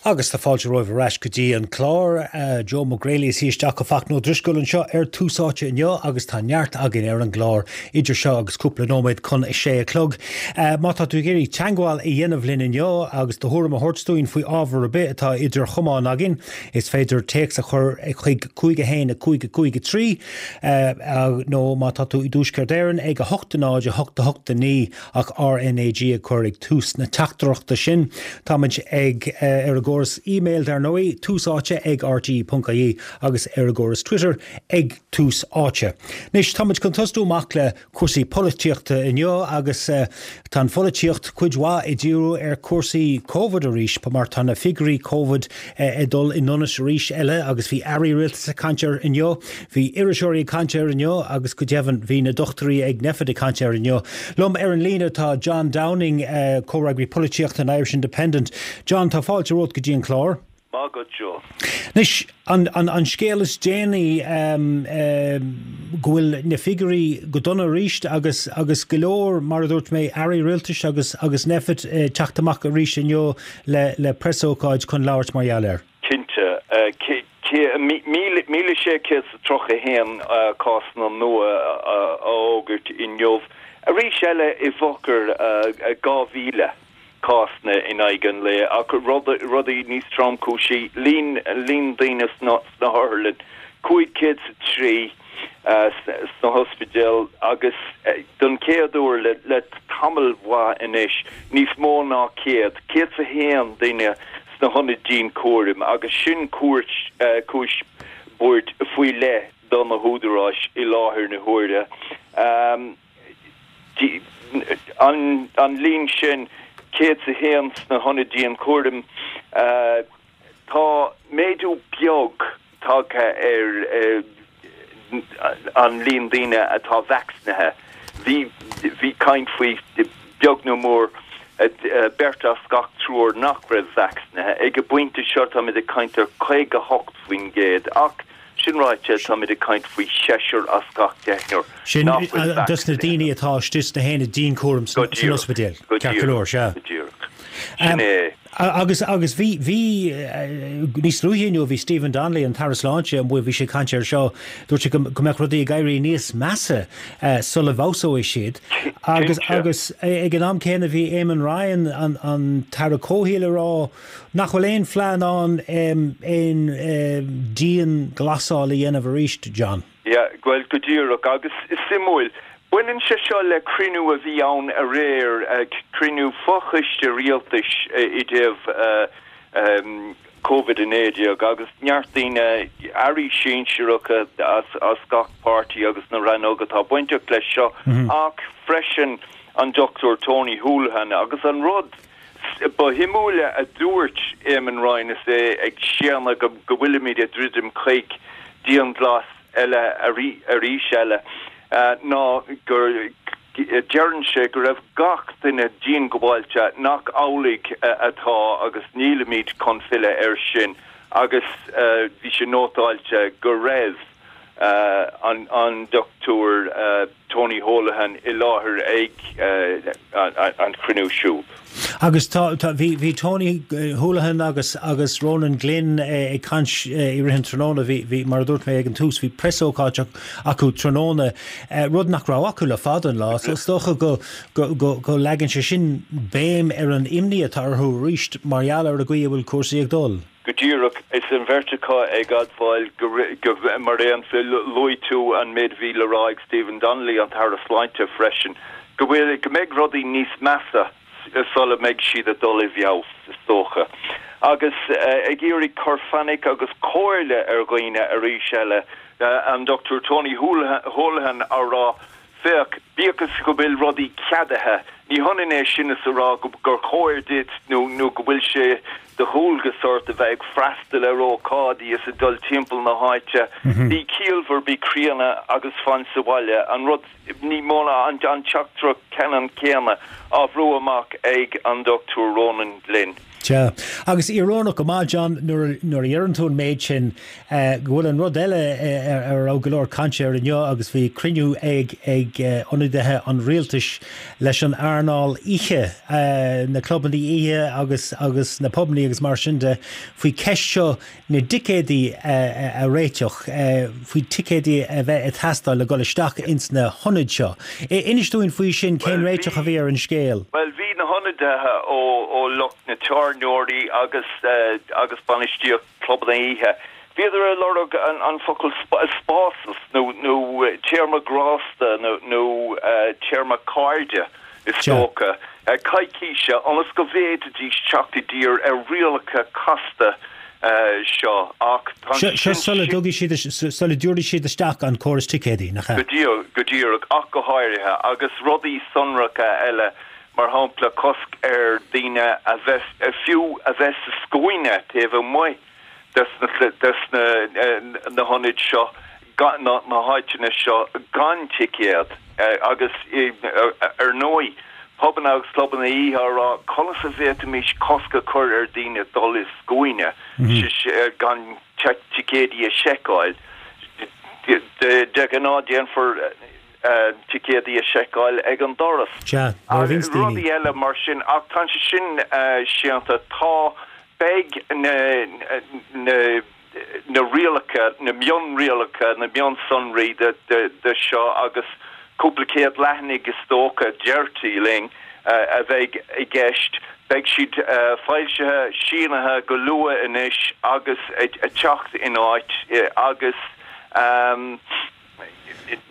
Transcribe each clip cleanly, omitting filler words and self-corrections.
Agus tá fáilte romhaibh ar ais go dtí an clár. Joe Mac Greally is isteach ó Fachtna Ó Drisceoil anseo ar Tús Áite inniu agus tá neart againn ar an gclár idir seo agus cúpla nóiméad chun a sé a chlog. Má tá tú ag iarraidh teagmháil a dhéanamh linn inniu agus do thuairim a thabhairt dúinn faoi ábhar ar bith atá idir chamáin againn, is féidir téacs a chur chuig 5 1 5 5 3 nó má tá tú i dTuaisceart Éireann ag 8 0 8 8 9. ach RnaG a chur ag tús na teachtaireachta sin. Táimid ag ar an gcóras e-mail dar ndóigh, tús áite ag rte.ie agus ar an gcóras Twitter ag Tús Áite. Anois, táimid chun tosnú amach le cúrsaí polaitíochta inniu agus tá an pholaitíocht cuid mhaith ag díriú ar chúrsaí Covid arís mar tá na figiúirí Covid ag dul i ndonas arís eile agus bhí airí rialtais ag caint air inniu. Bhí iriseoirí ag caint air inniu agus go deimhin bhí na dochtúirí ag Nphet ag caint air inniu. Liom ar an líne tá John Downing, comhfhreagraí polaitíochta an Irish Independent. John, tá fáilte romhat go dtí an clár. Maith agat, Joe. Anois, an scéal is déanaí go bhfuil na figiúirí go dona arís agus agus go leor, mar a dúirt mé, airí rialtais agus agus Nphet ag teacht amach arís inniu le le preasócáid chun labhairt mar gheall air. Cinnte. 1,631 cásanna nua a fhógairt inniu. Arís eile i bhfochair 2,000 cásanna in aghaidh an lae ach rudaí níos tromchúisí, líon daoine sna hotharlanna, 503 sna hospidéil agus don chéad uair le tamall mhaith anois, níos mó ná 100, 101 duine sna hionaid dianchúraim agus sin cúis buairt faoi leith do na húdaráis i láthair na huaire. An líon sin, 101 sna hionaid dianchúraim, tá méadú beag tagtha ar an líon daoine atá vacsaínithe. Bhí bhí caint faoi beag nó mór beirt as gach triúr nach raibh vacsaínithe. Ag an bpointe seo táimid ag caint ar 58% ach sin ráite táimid ag caint faoi seisear as gach deichniúr Sin nach bhfuil dos na daoine atá istigh sna haonaid dianchúraim san ospidéal. Ceart go leor, sea. Go díreach. Sin é. Agus, agus bhí, bhí, níos luaithe inniu bhí Stephen Donnelly, an tAire Sláinte, amuigh, bhí sé ag caint air seo, dúirt sé go, go mbeadh rudaí ag éirí níos measa sula bhfeabhsóidh siad. Agus, agus ag an am céanna bhí Eamon Ryan, an, an tAire Comhshaoil ag rá nach bhfuil aon phlean ann aon dianghlasáil a dhéanamh arís, John. Yeah, bhuel, go díreach. Agus is suimiúil, baineann sé seo le cruinniú a bhí ann aréir, cruinniú fochoiste rialtais i dtaobh Covid-19 agus neart daoine, airí sinsearacha as gach páirtí agus na rannóga atá bainteach leis seo, ach freisin an Dr Tony Holohan agus an rud ba shuimiúla a dúirt Eamon Ryan is é ag séanadh go bhfuilimid ag druidim chuig dianghlas eile arís eile ná gur deireann sé go raibh gach duine diongbháilte nach amhlaidh atá agus nílimid chun filleadh air sin agus bhí sé nótáilte go raibh an Dr Tony Holohan i láthair ag an chruinniú siúd. Agus tá, tá, bhí, bhí Tony Holohan agus, agus Ronan Glynn ag caint i rith an tráthnóna, bhí, bhí, mar a dúirt mé ag an tús, bhí preasócáid acu tráthnóna, rud nach raibh acu le fada an lá, so is dócha go, go, go, go leagann sé sin béim ar an imní atá orthu arís mar gheall ar an gcaoi a bhfuil cúrsaí ag dul. Go díreach, is an bheirt acu ag admháil go, mar aon, luaigh tú an méid a bhí le rá ag Stephen Donnelly, an tAire Sláinte, freisin, go bhfuil, go mbeidh rudaí níos measa sula mbeidh siad ag dul i bhfeabhas, is dócha. Agus ag iarraidh cur fainic agus comhairle ar dhaoine arís eile, an Dr Tony Holohan á rá Féach, bíodh is go bhfuil rudaí ceadaithe, ní hionann é sin is a rá gur chóir duit nó nó go bhfuil sé de dhualgas ort a bheith ag freastal ar ócáidí is ag dul timpeall na háite. Bí ciallmhar, bí críonna agus fan sa bhaile. An rud, ní mó ná an teachtaireacht ceannann céanna á bhrú amach ag an Dr Ronan Glynn. Sea. Agus íorónach go maith, John, nuair a deireann tú an méid sin, go bhfuil an rud eile ar a raibh go leor cainte air inniu agus bhí cruinniú ag ag ionadaithe an rialtais leis an earnáil oíche, na clubanna oíche agus agus na pubannaí agus mar sin de, faoi ceist seo na dticéadaí a réiteach, faoi ticéadaí a bheith ag teastáil le dhul isteach ins na hionaid seo. Inis dúinn faoi sin, cén réiteach a bhí ar an scéal? Bhuel, bhí na hionadaithe ó lucht na tábhairneoirí agus agus bainistíocht clubanna oíche, bhíodar ag lorg an focal spásas nó nó téarma grásta nó nó téarma cairde. is dócha, coicíse ionas go bhféadfaidís teacht i dtír ar rialacha casta seo ach tá Seo sin sula dtugaidh siad, sula dtabharfaidh siad isteach an córas ticéadaí, nach ea? Go díreach, ach go háirithe, agus rudaí sonracha eile, mar shampla cosc ar daoine a bheith, fiú a bheith sa scuaine taobh amuigh des na na hionaid seo, na háiteanna seo gan ticéad agus ar ndóigh pubanna agus clubanna oíche á rá conas a bhféadfaimis cosc a chur ar daoine dul i scuaine gan ticéidí a sheiceáil. De ghnáth déanfar ticéadaí a sheiceáil ag an doras. Sea, nuair a bhíonns daoine. Rudaí eile mar sin ach tá sé sin séanta. Tá, beidh na na na rialacha, na mionrialacha, na mionsonraí de seo agus cúpla céad leathanaigh is dócha, deirtí linn, a bheidh i gceist. Beidh siad foilsithe, sínithe go luath anois agus ag teacht in áit agus.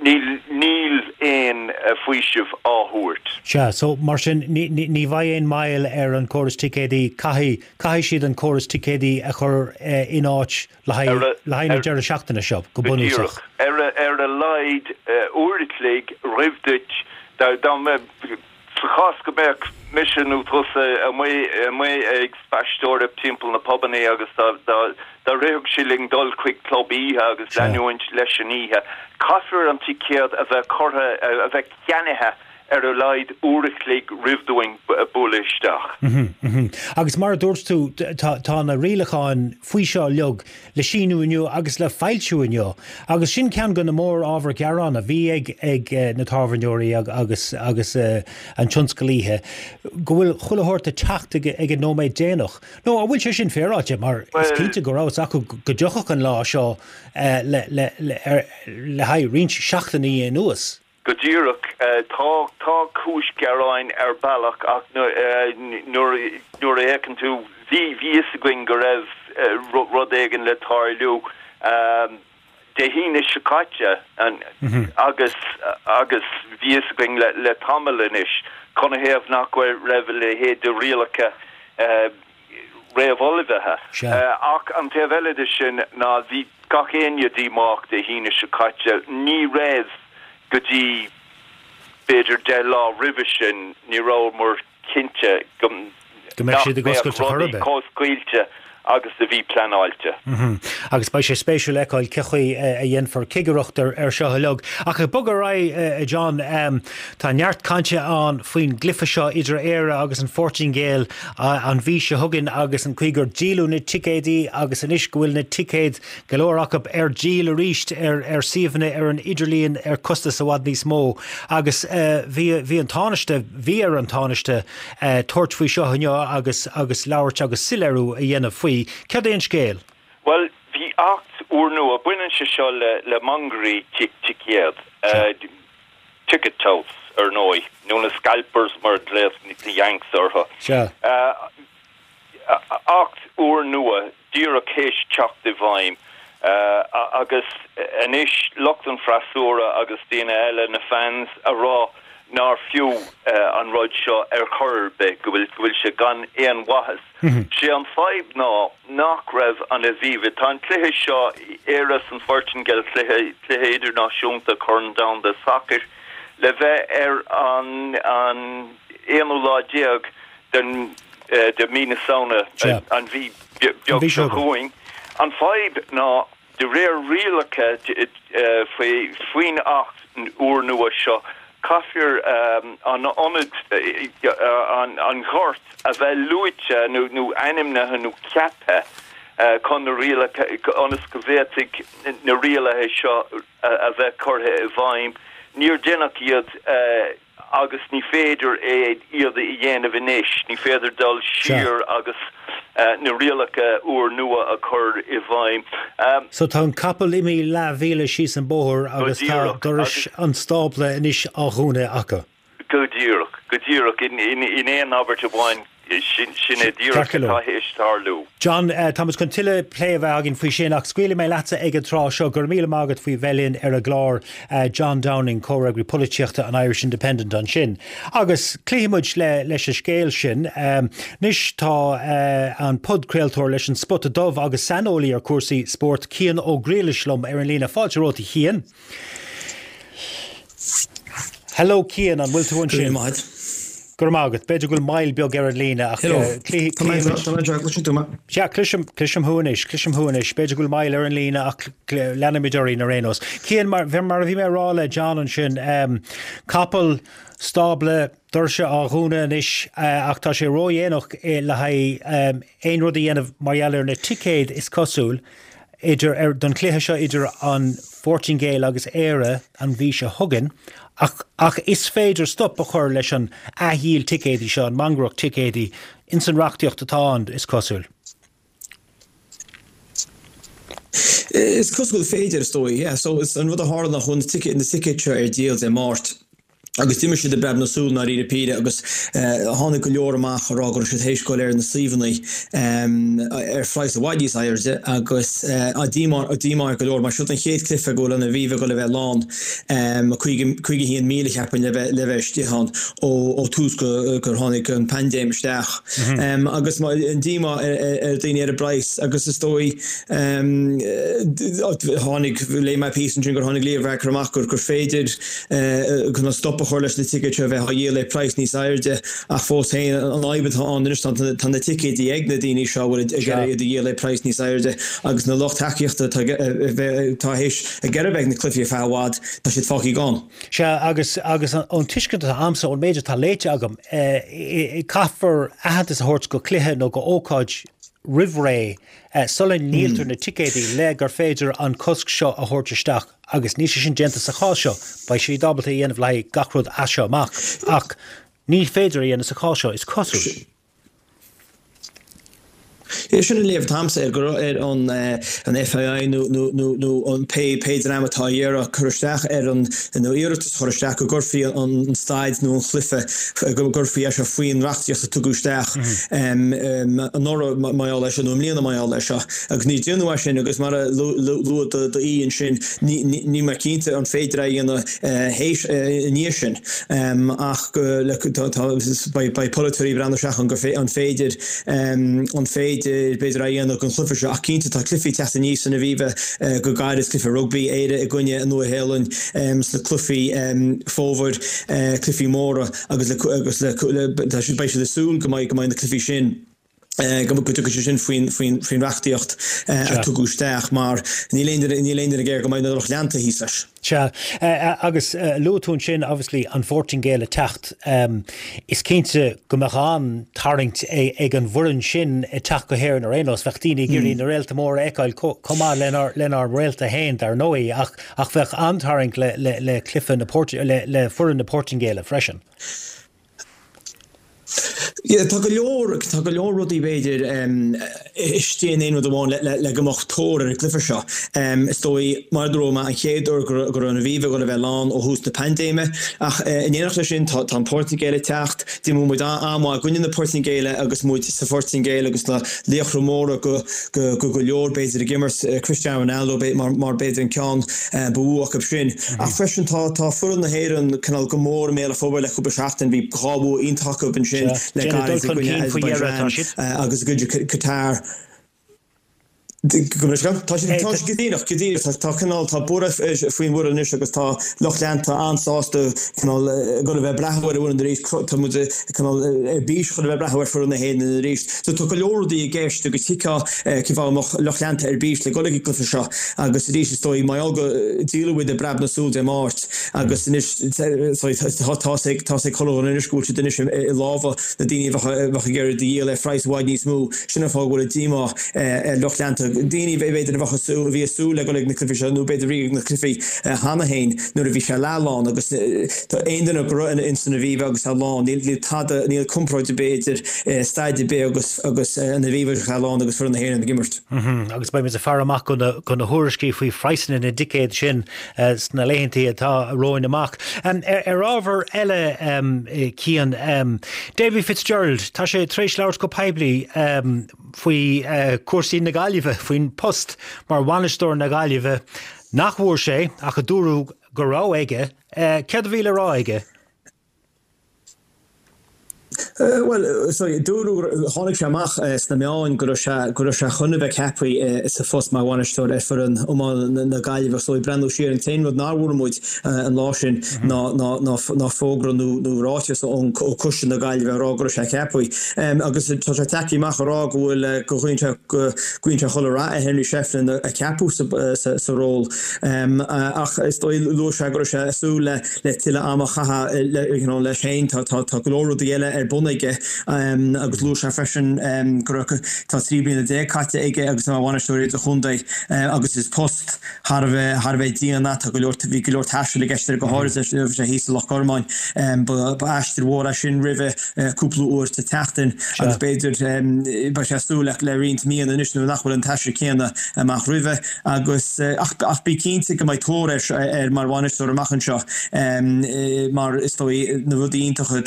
Níl, níl aon faoiseamh á thabhairt. Sea, so mar sin ní, ní, ní bheidh aon moill ar an córas ticéadaí, caithfidh, caithfidh siad an córas ticéadaí a chur in áit le haghaidh, le haghaidh na deireadh seachtaine seo, go Go bunúsach. díreach. Ar a, ar a laghad uair a chloig roimh duit, dá, dá mbeadh, Sa chás go mbeadh mise nó tusa amuigh amuigh ag spaisteoireacht timpeall na pubanna agus dá dá dá rithfeadh sé linn dul chuig club oíche agus Sea. leanúint leis an oíche, caithfear an ticéad a bheith curtha, a bheith ceannaithe ar a laghad uair a chloig roimh dúinn bualadh isteach. Agus mar a dúirt tú, tá tá na rialacháin faoi seo uilig le síniú inniu agus le foilsiú inniu, agus sin ceann de na mór-ábhair ghearáin a bhí ag ag na tábhairneoirí agus agus an tionscal oíche, go bhfuil chuile shórt ag teacht ag ag an nóiméad déanach. Nó an bhfuil sé sin féaráilte, mar is cinnte go raibh fhios acu go dtiocfadh an lá seo le le le le haghaidh roinnt seachtainí anuas. Go díreach. Tá, tá cúis gearáin ar bealach ach nuair, nuair a fhéachann tú, bhí, bhí fhios againn go raibh rud éigin le tarlú Dé hAoine seo caite agus, agus bhí fhios againn le, le tamall anois canathaobh nach raibh a leithéid de rialacha réamhullmhaithe. Ach an taobh eile de sin ná bhí gach éinne díomách Dé hAoine seo caite. Ní raibh go dtí b'fhéidir 10 lá roimhe sin, ní rabhamar cinnte go Go mbeadh siad ag oscailt ar chor ar bith. chomh scaoilte agus a bhí pleanáilte. Agus beidh sé spéisiúil a fheiceáil cé chaoi a dhéanfar cigireacht ar seo uilig. Ach ag bogadh ar aghaidh, a John, tá neart cainte ann faoin gcluiche seo idir Éire agus an Phortaingéil an mhí seo chugainn agus an chaoi gur díoladh na ticéidí agus anois go bhfuil na ticéid, go leor acu, ar díol arís ar suíomhanna ar an idirlíon ar costas i bhfad níos mó. Agus bhí bhí an Tánaiste, bhí ar an Tánaiste, tabhairt faoi seo inniu agus agus labhairt agus soiléiriú a dhéanamh faoi. Céard é an scéal? Bhuel, bhí acht úrnua, baineann sé seo le le mangairí ticéad, ticket touts, ar ndóigh, nó na scalpers mar a ghlaos na Yanks orthu. Sea. Acht úrnua díreach théis teacht i bhfeidhm agus anois lucht an freasúra agus daoine eile, na fans, a rá nár fiú an rud seo ar chor ar bith, go bhfuil go bhfuil sé gan aon mhaitheas. Sé an fadhb ná nach raibh an Aviva, tá an cluiche seo, Éire is an Phortaingéil, cluiche cluiche idirnáisiúnta Corn Domhanda Sacair, le bheith ar an an aonú lá déag den de mí na Samhna, an mhí beag seo chugainn. An fadhb ná, de réir rialacha faoi faoin Acht úrnua seo, Caithfear an ionad, an ghort a bheith luaite nó ainmnithe nó ceaptha chun na rialacha, ionas go bhféadfaidh na rialacha seo a bheith curtha i bhfeidhm. Níor deineadh iad agus ní féidir é iad a dhéanamh anois, ní féidir dul siar agus na rialacha úrnua a chur i bhfeidhm. So tá an capall imithe leathmhíle síos an bóthar agus tá dorais an stábla anois á dhúnadh acu. Go díreach, go díreach. In aon abairt amháin, sin é díreach atá théis tarlú. John, táimid chun tuilleadh plé a bheith againn faoi sin ach scaoilfidh mé leatsa ag an tráth seo. Go raibh míle maith agat faoi bheith linn ar an gclár, John Downing, Comhfhreagraí Polaitíochta an Irish Independent ansin. Agus cloífidh muid leis an scéal sin. Anois tá an podchraoltóir leis an Spota Dubh agus saineolaí ar chúrsaí spóirt, Cian Ó Griallais liom ar an líne. Fáilte romhat a Chian. Hello Cian, an bhfuil tú ansin? Go raibh maith agat. Go raibh maith agat. B'fhéidir go bhfuil moill beag ar an líne ach Hello. Tá mé anseo, cloiseann tú mé? Sea, cloisim, cloisim thú anois, cloisim thú anois. B'fhéidir go bhfuil moill ar an líne ach leanfaimid orainn ar aon nós. Cian, mar, mar a bhí mé a rá le John ansin, capall, stábla, doirse á dhúnadh anois ach tá sé ródhéanach le haghaidh aon rud a dhéanamh mar gheall ar na ticéid is cosúil. idir, ar, don chluiche seo idir an Phortaingéil agus Éire an mhí seo chugainn, ach, ach is féidir stop a chur leis an athdhíol ticéidí seo, an mhangaireacht ticéidí, ins an reachtaíocht atá ann, is cosúil. Is cosúil gur féidir, is dóigh, yeah. So, is an rud a tharla ná chuaigh na ticéid, na ticéid seo ar díol Dé Máirt. Agus d'imigh siad i bpreab na súl i ndáiríre píre agus tháinig go leor amach a rá go raibh siad théis goil ar na suíomhanna ar phraghas i bhfad níos airde agus díomá díomá ar go leor mar siod an chéad cluiche go bhfuil an Aviva ag goil a bheith lán, 51,000 cheapfainn le bheith le bheith istigh ann ó ó tús go gur tháinig an paindéim isteach. Agus an díomá ar daoine ar an bpraghas agus is dóigh tháinig léigh mé píosa ansin gur tháinig Leo Varadkar amach gur gur féidir chun stop a chur leis na ticéid seo a bheith á dhíol ar praghas níos airde ach fós féin an fhadhb atá ann anois tá tá na ticéidí ag na daoine seo a bhfuil ag iarraidh iad a dhíol ar praghas níos airde agus na lucht tacaíochta atá atá théis ag iarraidh bheith ag na cluichí ar feadh i bhfad tá siad fágtha gann. Sea agus agus ón tuiscint atá a'msa ón méid atá léite agam caithfear aitheantas a thabhairt go cluiche nó go ócáid roimh ré sula ndíoltar na ticéidí le gur féidir an cosc seo a thabhairt isteach. Agus níl sé sin déanta sa chás seo. Beidh siad ábalta é a dhéanamh le haghaidh gach rud as seo amach, ach ní féidir é a dhéanamh sa chás seo, is cosúil. Sin an léamh atá a'msa air, go raibh ar an an FAI nó nó nó nó an pé pé dream atá ag iarraidh cur isteach ar an nó iarratas a chur isteach go gcuirfí an staid nó an chluiche go gcuirfí é seo faoin reachtaíocht a tugadh isteach anuraidh mar gheall air seo nó i mbliana mar gheall air seo. Agus níor déanadh é sin agus mar a luaigh d'aoi ansin, níl mé cinnte an féidir é a dhéanamh théis, i ndiaidh sin ach beidh polaiteoirí ag breathnú isteach an an féidir, an féidir b'fhéidir é a dhéanamh don chluiche seo ach cinnte tá cluichí ag teacht aníos san Aviva go gairid, cluiche rugbaí, Éire i gcoinne an Nua-Shéalainn sna cluichí fómhair, cluichí móra agus le, agus le, beidh siad ag súil go mbeidh, go mbeidh na cluichí sin. go dtiocfaidh sé sin faoin reachtaíocht a tugadh isteach mar níl aon duine níl aon duine ag iarraidh go mbeidh na lucht leanta thíos leis. Sea, agus luaigh tú ansin obviously an Phortaingéil ag teacht. Is cinnte go mbeadh an-tarraingt ag an bhfoireann sin ag teacht go hÉirinn ar aon nós. Bheadh daoine ag iarraidh na réalta móra a fheiceáil chomh maith lenár réalta féin dar ndóigh ach ach bheadh an-tarraingt le le cluiche na le foireann na Portaingéile freisin. Yeah, tá go leor, tá go leor rudaí b'fhéidir istigh in aon rud amháin le, le, le go mbeadh tóir ar an gcluiche seo. Is dóigh, mar a dúirt mé, an chéad uair go raibh, go raibh an Aviva ag dul a bheith lán ó thús na paindéime. Ach in éineacht leis sin, tá, tá an Portaingéil ag teacht. D'imir muid an-mhaith i gcoinne na Portaingéile agus muid sa Phortaingéil agus na laochra móra go, go, go, go leor b'fhéidir ag imirt, Cristiano Ronaldo mar, mar b'fhéidir an ceann ba mhó acu sin. Ach freisin tá tá foireann na hÉireann cineál go mór i mbéal an phobail le cúpla seachtain. Bhí 2 bhua iontach acu ansin le gairid i gcoinne Azerbaijan agus i gcoinne Qatar. Tá siad go díreach, go díreach. Tá cineál, tá borradh faoin bhfoireann anois agus tá lucht leanta an-sásta cineál ag dul a bheith ag breathnú ar an bhfoireann arís. Tá muid cineál ar bís chun a bheith ag breathnú ar foireann na hÉireann arís. So tá go leor rudaí i gceist agus thuigfeá cén fáth a mbeadh lucht leanta ar bís le dul ag an gcluiche seo agus arís is dóigh mar gheall go díoladh iad i bpreab na súl Dé Máirt agus anois tá's ag tá's ag chuile dhuine anois go bhfuil siad anois i lámha na daoine a bheadh ag iarraidh iad a dhíol ar phraghas i bhfad níos mó. Sin an fáth go bhfuil an díomá ar lucht leanta, daoine b'fhéidir a bheadh ag súil, a bhí ag súil le dul ag na cluichí seo nó b'fhéidir a bhí ag na cluichí cheana féin nuair a bhí sé leathlán agus tá aon duine go raibh ins an Aviva agus é lán, níl tada, níl comparáid ar bith idir staid ar bith agus agus an Aviva agus é lán agus foireann na hÉireann ag imirt. Agus beidh muid ag faire amach go na thuairiscí faoi phraghsanna na dticéad sin sna laethantaí atá romhainn amach. Ar ábhar eile, Cian, Davy Fitzgerald, tá sé tar éis labhairt go poiblí faoi chúrsaí na Gaillimhe, faoin post mar bhainisteoir na Gaillimhe nach bhfuair sé ach a dúradh go raibh aige. Céard a bhí le rá aige? Bhuel, sorry, dúradh, tháinig sé amach sna meáin go raibh sé, go raibh sé chun a bheith ceaptha sa phost mar bhainisteoir ar foireann iomána na Gaillimhe. So ag breathnú siar, an t-aon rud nár bhfuair muid an lá sin ná, ná, ná, ná fógra nó, nó ráiteas ón, ó Coiste na Gaillimhe ag rá go raibh sé ceaptha. Agus tá sé tagtha amach ag rá go bhfuil, go nguíonn sé, go nguíonn sé chuile rath ar Henry Shefflin a ceapadh sa, sa, sa ról. Ach is dóigh, luaigh sé go raibh sé ag súil le, le tuilleadh ama a chaitheamh you know leis féin. Tá tá go leor rudaí eile ar bun aige agus luaigh sé freisin go raibh tá 13 bliana caite aige agus é mar bhainisteoir idirchontae agus is post thar a bheith thar a bheith dian é. Tá go leor bhí go leor taistil i gceist air go háirid nuair a bhí sé thíos i Loch Gormáin. Ba ba aistear mhór é sin roimhe cúpla uair sa tseachtain agus b'fhéidir beidh sé ag súil le le roinnt míonna anois nuair nach bhfuil an t-aistear céanna amach roimhe. Agus, ach bí cinnte go mbeidh tóir air mar bhainisteoir amach anseo mar is dóigh na rudaí iontacha a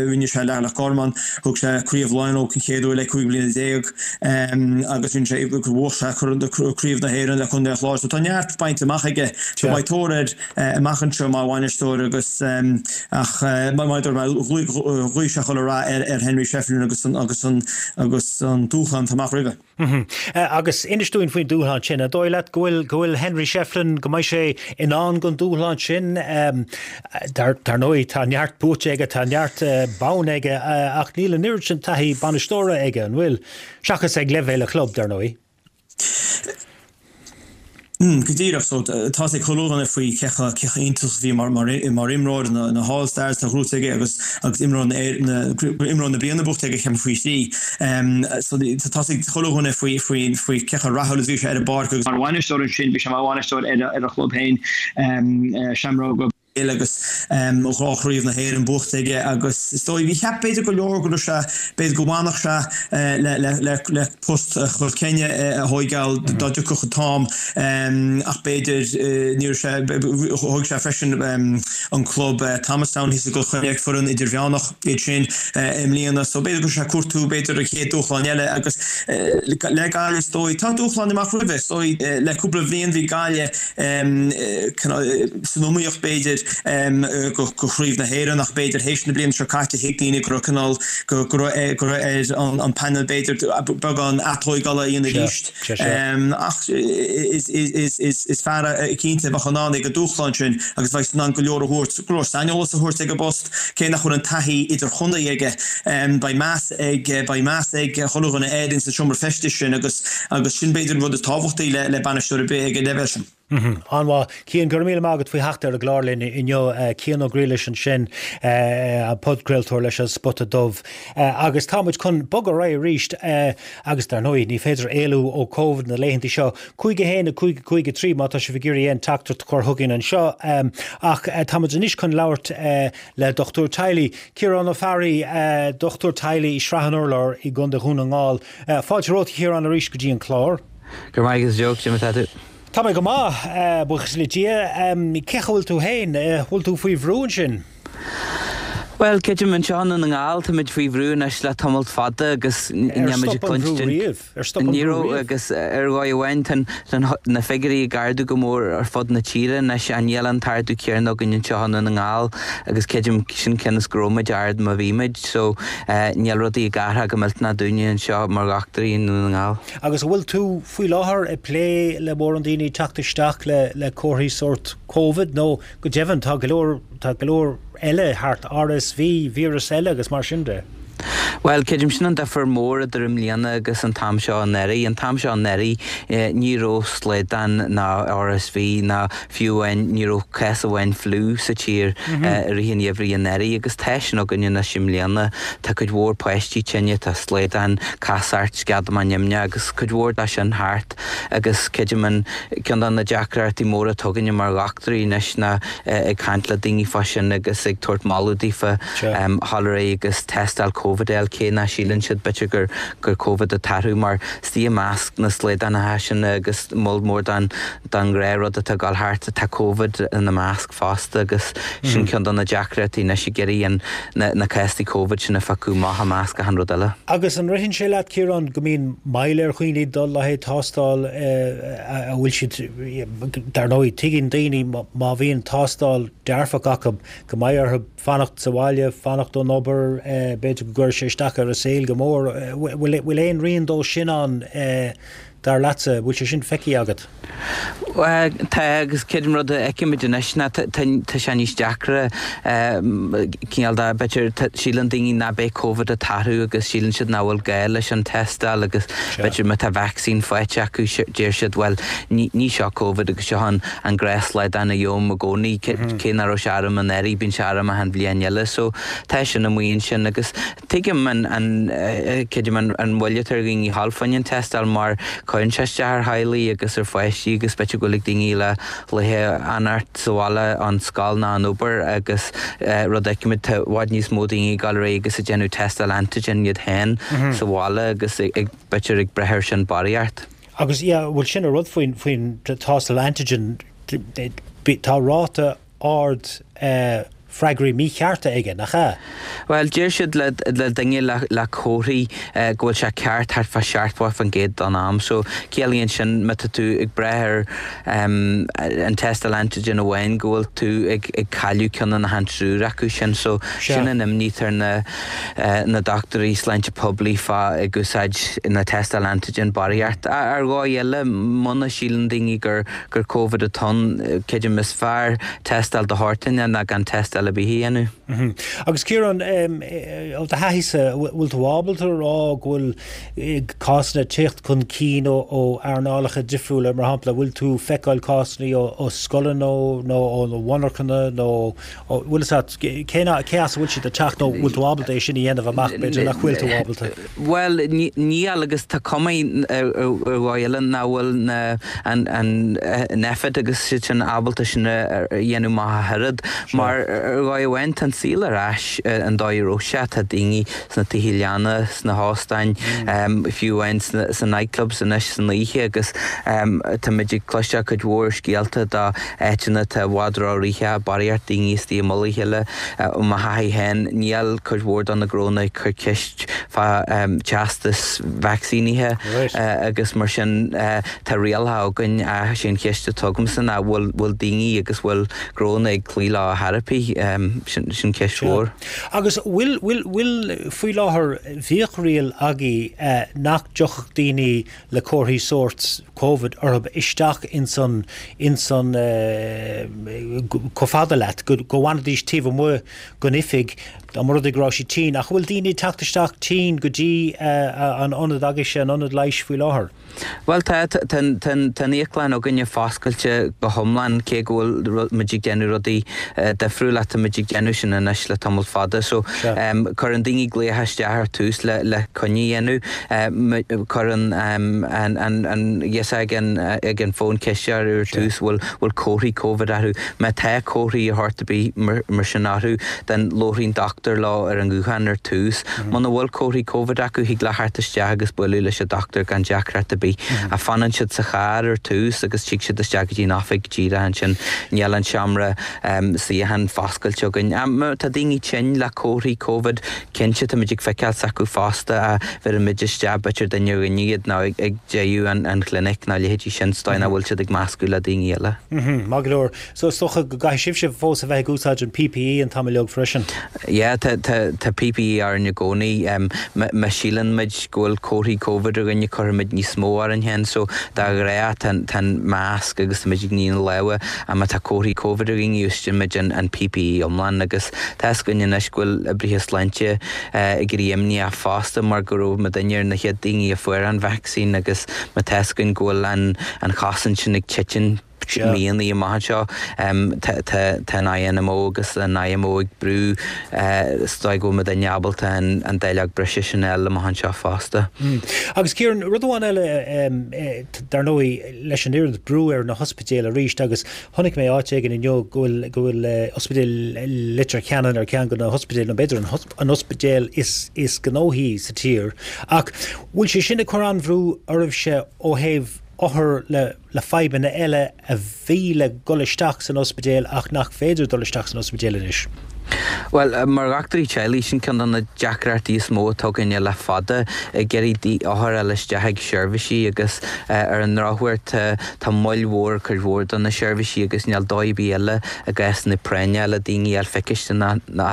rinne sé le Loch Garman, thug sé Craobh Laighean leo den chéad uair le 15 bliana agus rinne sé, bhuaigh sé Craobh na hÉireann le Contae an Chláir. So tá neart bainte amach aige. So beidh tóir air amach anseo mar bhainisteoir agus ach mar a dúirt mé, ghuigh sé chuile rath ar Henry Shefflin agus an dúshlán atá amach roimhe. Agus inis dúinn faoin dúshlán sin. An dóigh leat go bhfuil, go bhfuil Henry Shefflin, go mbeidh sé in ann don dúshlán sin? Dar ndóigh, tá neart buaite aige, tá neart bonn aige, ach níl an oiread sin taithí bainisteora aige, an bhfuil? Seachas ag leibhéal a chlub, dar ndóigh. Go díreach. So, tá's ag chuile dhuine faoi cé chomh cé chomh iontach is a bhí mar mar mar imreoir na na hAll Stars atá gnóite aige agus agus imreoir na na imreoir na bliana buaite aige ceapaim faoi thrí. So tá's ag chuile dhuine faoi faoi faoi cé chomh rathúil is a bhí sé ar an bpáirc agus mar bhainisteoir ansin bhí sé mar bhainisteoir ar a ar a chlub féin Seamróga Béil agus dhá chraobh na hÉireann buaite aige agus is dóigh, bhí cheap b'fhéidir go leor go raibh sé, b'fhéidir go bhfanfadh sé le le le le post Chill Chainnigh a thóigeáil dá dtiocfadh an t-am ach b'fhéidir ní raibh sé, thóig sé freisin an club Thomastown thíos i gCill Chainnigh, foireann idirmheánach iad sin i mbliana so b'fhéidir go raibh sé ag cuartú b'fhéidir an chéad dúshlán eile agus le Gaillimh is dóigh, tá dúshlán amach roimhe is dóigh le cúpla bhliain bhí Gaillimh san iomaíocht b'fhéidir go Craobh na hÉireann ach b'fhéidir théis na bliana seo caite thuig daoine go raibh cineál go raibh go raibh ar an painéal b'fhéidir beagán atóigeála a dhéanamh arís. Ach is fear é cinnte a bheadh in ann ag an dúshlán sin agus bheadh in ann go leor a thabhairt, go leor saineolas a thabhairt ag an bpost. Cé nach bhfuil an taithí idirchontae aige, beidh meas ag beidh meas ag chuile dhuine air ins an seomra feistis sin agus agus sin b'fhéidir an rud is tábhachtaí le le bainisteoir ar bith ag an leibhéal sin. An-mhaith. Cian, go raibh míle maith agat faoi theacht ar an gclár linn inniu. Cian Ó Griallais ansin, an podchraoltóir leis an Spota Dubh. Agus tá muid chun bogadh ar aghaidh arís agus dar ndóigh ní féidir éalú ó Covid na laethanta seo. 5 1 5 5 3 má tá sibh ag iarraidh aon teachtaireacht a chur chugainn anseo. Ach tá muid anois chun labhairt le dochtúir teaghlaigh, Ciarán Ó Fearraigh, dochtúir teaghlaigh i Srath an Urláir i gContae Dhún na nGall. Fáilte romhat a Chiaráin arís go dtí an clár. Go raibh maith agat a Joe, cad é mar atá tú? Tá mé go maith, buíochas le Dia. Cén chaoi a bhfuil tú féin? Bhfuil tú faoi bhrú ansin? Bhuel, creidim anseo i nDún na nGall, táimid faoi bhrú anois le tamalt fada agus níl muid ag cluinstin. Ar stop an brú riamh? Ní raibh agus ar dhóigh amháin tá na figiúirí ag ardú go mór ar fud na tíre anois ach níl an t-ardú céanna againn anseo i Ndún na nGall agus creidim sin cionn is go raibh muid ard má bhí muid so níl rudaí ag athrú go millteanach dúinne anseo mar dhochtúirí i nDún na nGall. Agus an bhfuil tú faoi láthair ag plé le mórán daoine ag teacht isteach le comharthaí sórt Covid nó Go deimhin, tá go leor, tá go leor eile thart, RSV, víreas eile agus mar sin de. Bhuel, creidim sin an difear mór idir i mbliana agus an t-am seo anuraidh. An t-am seo anuraidh ní raibh slaghdán ná RSV ná fiú amháin ní raibh cás amháin fliú sa tír i rith an gheimhridh anuraidh agus tá sin againn anois i mbliana. Tá cuid mhór páistí tinn, tá slaghdán, casacht, sceadamán nimhneach agus cuid mhór de sin thart agus creidim an Ceann de na deacrachtaí móra atá againne mar dhochtúirí anois ná ag caint le daoine fá sin agus ag tabhairt moladh daofa dhul ar aghaidh agus tástáil Covid a fháil cé nach síleann siad b'fhéidir gur gur Covid atá orthu mar istigh i measc na slaghdánacha sin agus moll mór den den ghnáthrud atá ag dul thart tá Covid ina measc fosta agus sin ceann de na deacrachtaí anois ag iarraidh an na na cásanna Covid sin a phiocadh amach i measc achan rud eile. Agus an ritheann sé leat, Ciarán, go mbíonn moill ar dhaoine dul le haghaidh tástáil, a bhfuil siad, dar ndóigh, tuigeann daoine má bhíonn tástáil dearfach acu go mbeidh orthu fanacht sa bhaile, fanacht ón obair, b'fhéidir go gcuirfidh sé isteach ar a saol go mór. Bhfuil aon rian dó sin ann? Dar leatsa, bhfuil sé sin feicthe agat? Tá, agus creidim rud a fheicimid anois ná tá sé níos deacra cineál de, b'fhéidir, síleann daoine nach beidh Covid atá orthu agus síleann siad nach bhfuil gá leis an tástáil agus b'fhéidir má tá vacsaín faighte acu deir siad bhuel ní seo Covid agus seo an an gnáthshlaghdán a gheobhaim i gcónaí, cé nach raibh sé orm anuraidh bíonn sé orm achan bhliain eile so tá sin amuigh ansin agus Tuigim an, creidim an mhoill atá ar dhaoine a ghabháil fá choinne an tástáil mar cuireann sé isteach ar theaghlaigh agus ar pháistí agus b'fhéidir go bhfuil ag daoine le laethe fanacht sa bhaile ón scoil ná an obair agus rud a fheicimid tá i bhfad níos mó daoine ag dul ar aghaidh agus ag déanamh tástáil antigen iad féin sa bhaile agus ag b'fhéidir ag brath ar sin barraíocht. Agus yeah, bhuel sin an rud faoin, faoin tástáil antigen, tá ráta ard freagraí míchearta aige, nach ea? Bhuel, deir siad le duine le comharthaí go bhfuil sé ceart thart fá 70% den am. So, ciallaíonn sin má tá tú ag brath ar an tástáil antigen amháin go bhfuil tú ag cailleadh ceann de na han triúr acu sin. So, sin an imní atá ar na na dochtúirí sláinte poiblí fá ag úsáid na tástáil antigen barraíocht. Ar dhóigh eile, muna síleann daoine gur gur Covid atá ann, creidim is fearr tástáil de shórt éigin ná gan tástáil ar bith a dhéanamh. Agus Ciarán, ó do thaithísa, bhfuil tú ábalta a rá go bhfuil cásanna ag teacht chun cinn ó earnálacha difriúla, mar shampla, bhfuil tú ag feiceáil cásanna ó scoileanna nó ó mhonarchana nó bhfuil fhios agat cé as a bhfuil siad ag teacht nó bhfuil tú ábalta é sin a dhéanamh amach, b'fhéidir nach bhfuil tú ábalta? Bhuel, níl, agus tá cuma ar dhóigh eile nach bhfuil na, an, an Nphet agus siad sin ábalta sin a dhéanamh amach ach oiread. Mar ar dhóigh amháin tá an saol ar ais an dóigh a raibh sé, tá daoine sna tithe leanna, sna hóstáin, fiú amháin sna nightclubs anois san oíche agus táimid ag cloisteáil cuid mhór scéalta de áiteanna atá i bhfad ró-rithreach, barraíocht daoine istigh i mullach a chéile. Ó mo thaithí féin, níl cuid mhór de na gnónna ag cur ceist fá teastas vacsaínithe agus mar sin tá rialacha againn ach sé an cheist atá agamsa ná bhfuil bhfuil daoine agus bhfuil gnónna ag cloí leo ar chor ar bith? Sin ceist mhór. Agus bhfuil bhfuil bhfuil faoi láthair bhíodh riail agaibh nach dtiocfadh daoine le comharthaí sóirt Covid orthu isteach ins an, ins an, chomh fada leat, go bhfanfaidís taobh amuigh den oifig dá mba rud é go raibh siad tinn. Ach an bhfuil daoine ag teacht isteach tinn go dtí an ionad agaibhse, an ionad leighis faoi láthair? Bhuel tá, tá, tá, tá an íoclann againne foscailte go hiomlán cé go bhfuil muid ag déanamh rudaí difriúla, tá muid ag déanamh sin anois le tamall fada. So cuireann daoine glaoch isteach ar tús le, le coinne a dhéanamh. Cuireann an girseach ag an bhfón ceist orthu ar tús bhfuil bhfuil comharthaí Covid orthu. Má tá comharthaí ar shórt ar bith mar sin orthu, then labhraíonn dochtúir leo ar an ghuthán ar tús. Muna bhfuil comharthaí Covid acu, thig leo theacht isteach agus bualadh leis an dochtúir gan deacracht ar bith. Ach fanann siad sa charr ar tús agus tig siad isteach go dtí an oifig díreach ansin. Níl an seomra suíochán foscailte. oscailte againn. Má tá daoine tinn le comharthaí Covid, cinnte táimid ag feiceáil s'acu fosta ach bheirimid isteach b'fhéidir duine ar dhuine iad nó ag deireadh an chlinic nó a leithéidí sin sa dóigh nach bhfuil siad ag meascadh le daoine eile. Maith go leor. So is dócha go gcaithfidh sibhse fós a bheith ag úsáid an PPE an t-am uilig freisin? Yeah, tá, tá, tá PPE orainn i gcónaí. Má síleann muid go bhfuil comharthaí Covid ar dhuine cuirfimid níos mó orainn féin. So de ghnáth tá, tá an masc agus táimid ag ní na lámha ach má tá comharthaí Covid ar dhaoine úsáideann muid an, an PPE iomlán agus tá fhios againn anois go bhfuil oibrithe sláinte ag éirí imníoch fosta mar go raibh muidinne ar na chéad daoine a fuair an vacsaín agus má tá fhios againn go bhfuil an, an chosaint sin ag titim míonna amach anseo. Tá an INMO agus an IMO ag brú is dóigh go bhfuil muidinne ábalta an dáileog breise sin a fháil amach anseo fosta. Agus Ciarán, rud amháin eile, dar ndóigh, leis an oiread brú ar na hospidéil arís agus chonaic mé áit éigin inniu go bhfuil go bhfuil Ospidéal Leitir Ceanainn ar cheann de na hospidéil, nó b'fhéidir an ospidéal is is gnóthaí sa tír. Ach bhfuil sé sin ag cur an-bhrú oraibhse ó thaobh othar le le fadhbanna eile a bhí le dul isteach san ospidéal ach nach féidir dul isteach san ospidéal anois. Bhuel, mar dhochtúirí teaghlaigh, sin ceann de na deacrachtaí is mó atá againne le fada, ag iarraidh othair a fháil isteach ag seirbhísí agus ar an ndrochuair tá tá moill mhór ar cuid mhór de na seirbhísí agus níl dóigh ar bith eile i gcásanna práinne le daoine a fháil feicthe ná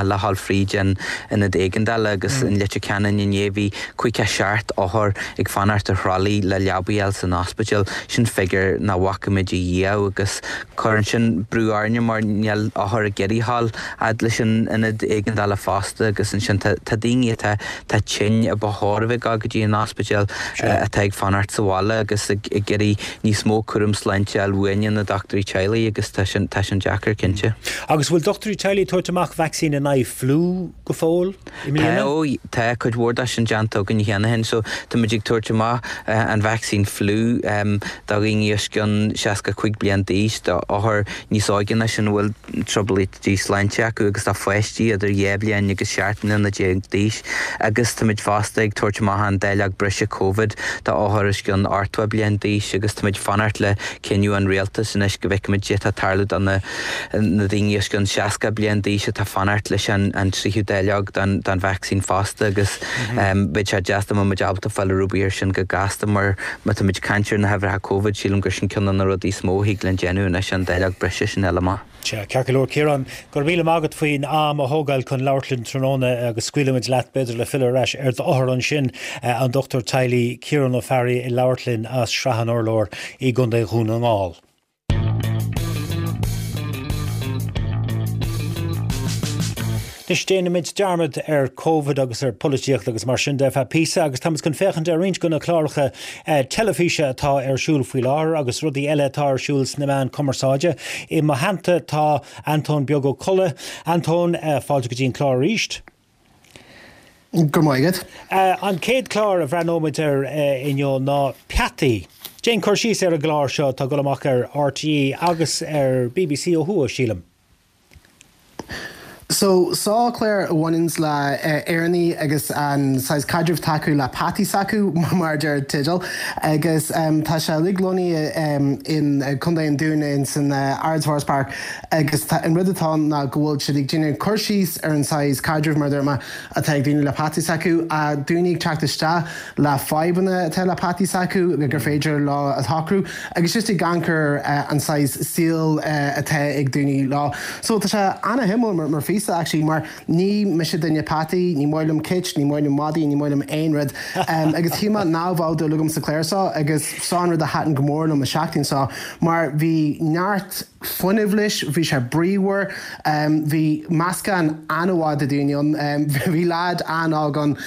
le dhul fríd an ionad éigeandála agus in Leitir Ceanainn inné bhí 57 othar ag fanacht ar thralaí le leabaí a fháil san ospidéal, sin figiúr nach bhfaca muid ariamh agus cuireann sin brú orainne mar níl othair ag iarraidh a dhul fhad leis an ionad éigeandála fosta agus ansin tá daoine atá tá tinn a ba chóir a bheith ag dul go dtí an ospidéal atá ag fanacht sa bhaile agus ag iarraidh níos mó cúram sláinte a fháil uainne na dochtúirí teaghlaigh agus tá sin tá sin deacair cinnte. Agus bhfuil dochtúirí teaghlaigh ag tabhairt amach vacsaín in aghaidh fliú go fóill? I mbliana? Tá, ó, tá cuid mhór de sin déanta againn cheana féin. So, tá muid ag tabhairt amach an vacsaín fliú do dhaoine os cionn 65 bliain d'aois, do othair níos óige ná sin a bhfuil trioblóidí sláinte acu agus do pháistí idir 2 bhliain agus 17 mbliana d'aois. Agus tá muid fosta ag tabhairt amach an dáileog breise Covid do othair os cionn 80 bliain d'aois agus tá muid ag fanacht le cinneadh an rialtais anois go bhfeicfimid cad é atá ag tarlú do na na daoine os cionn 60 bliain d'aois atá ag fanacht leis an tríú dáileog den vacsaín fosta agus beidh sé deas dá mbeadh muid ábalta fáil rúbaí air sin go gasta mar má tá muid ag caint ar na huimhreacha Covid sílim gur sin ceann de na rudaí is mó a thig linn déanamh anois an dáileog breise sin a fháil amach. Sea, ceart go leor Ciarán, go raibh míle maith agat faoin am a thógáil chun labhairt linn tráthnóna agus scaoilfimid leat b'fhéidir le filleadh ar ais ar d'othar ansin, an Dochtúir Teaghlaigh Ciarán Ó Fearraigh ag labhairt linn as Srath an Urláir i gContae Dhún na nGall. Anois déanfaimid dearmad ar Covid agus ar pholaitíocht agus mar sin de ar feadh píosa agus táimid chun féachaint ar roinnt de na cláracha teilifíse atá ar siúl faoi láthair agus rudaí eile atá ar siúl sna meáin cumarsáide. I mo theannta tá Antóin Beag Ó Colla. Antóin, fáilte go dtí an clár arís. Go raibh maith agat. An chéad chlár a bhreathnóimid air inniu ná Peataí. Déan cur síos ar an gclár seo atá ag dul amach ar RTÉ agus ar bbc ó thuaidh, sílim. So, seo clár a bhaineanns le Éireannaigh agus an saghas caidreamh atá acu le peataí s'acu, mar a deir an teideal. Agus tá sé uilig lonnaithe in Contae an Dúin in san Ards Forest Park. Agus tá, an rud atá ann ná go bhfuil siad ag déanamh cur síos ar an saghas caidrimh, mar a dúirt mé, atá ag daoine le peataí s'acu, daoine ag teacht isteach le fadhbanna atá le peataí s'acu gur féidir leo a shocrú agus just ag amharc ar an saghas saol atá ag daoine leo. So tá sé ana-shuimiúil mar, mar phíosa actually mar ní mise duine peataí, ní maith liom cait, ní maith liom madaí, ní maith liom aon rud agus shíl mé nach bheadh dúil agam sa chlár seo agus seo an rud a thaitin go mór liom an seachtain seo mar bhí neart fuinneamh leis, bhí sé bríomhar, bhí meascán an-mhaith de daoine ann, bhí leaid an-óg ann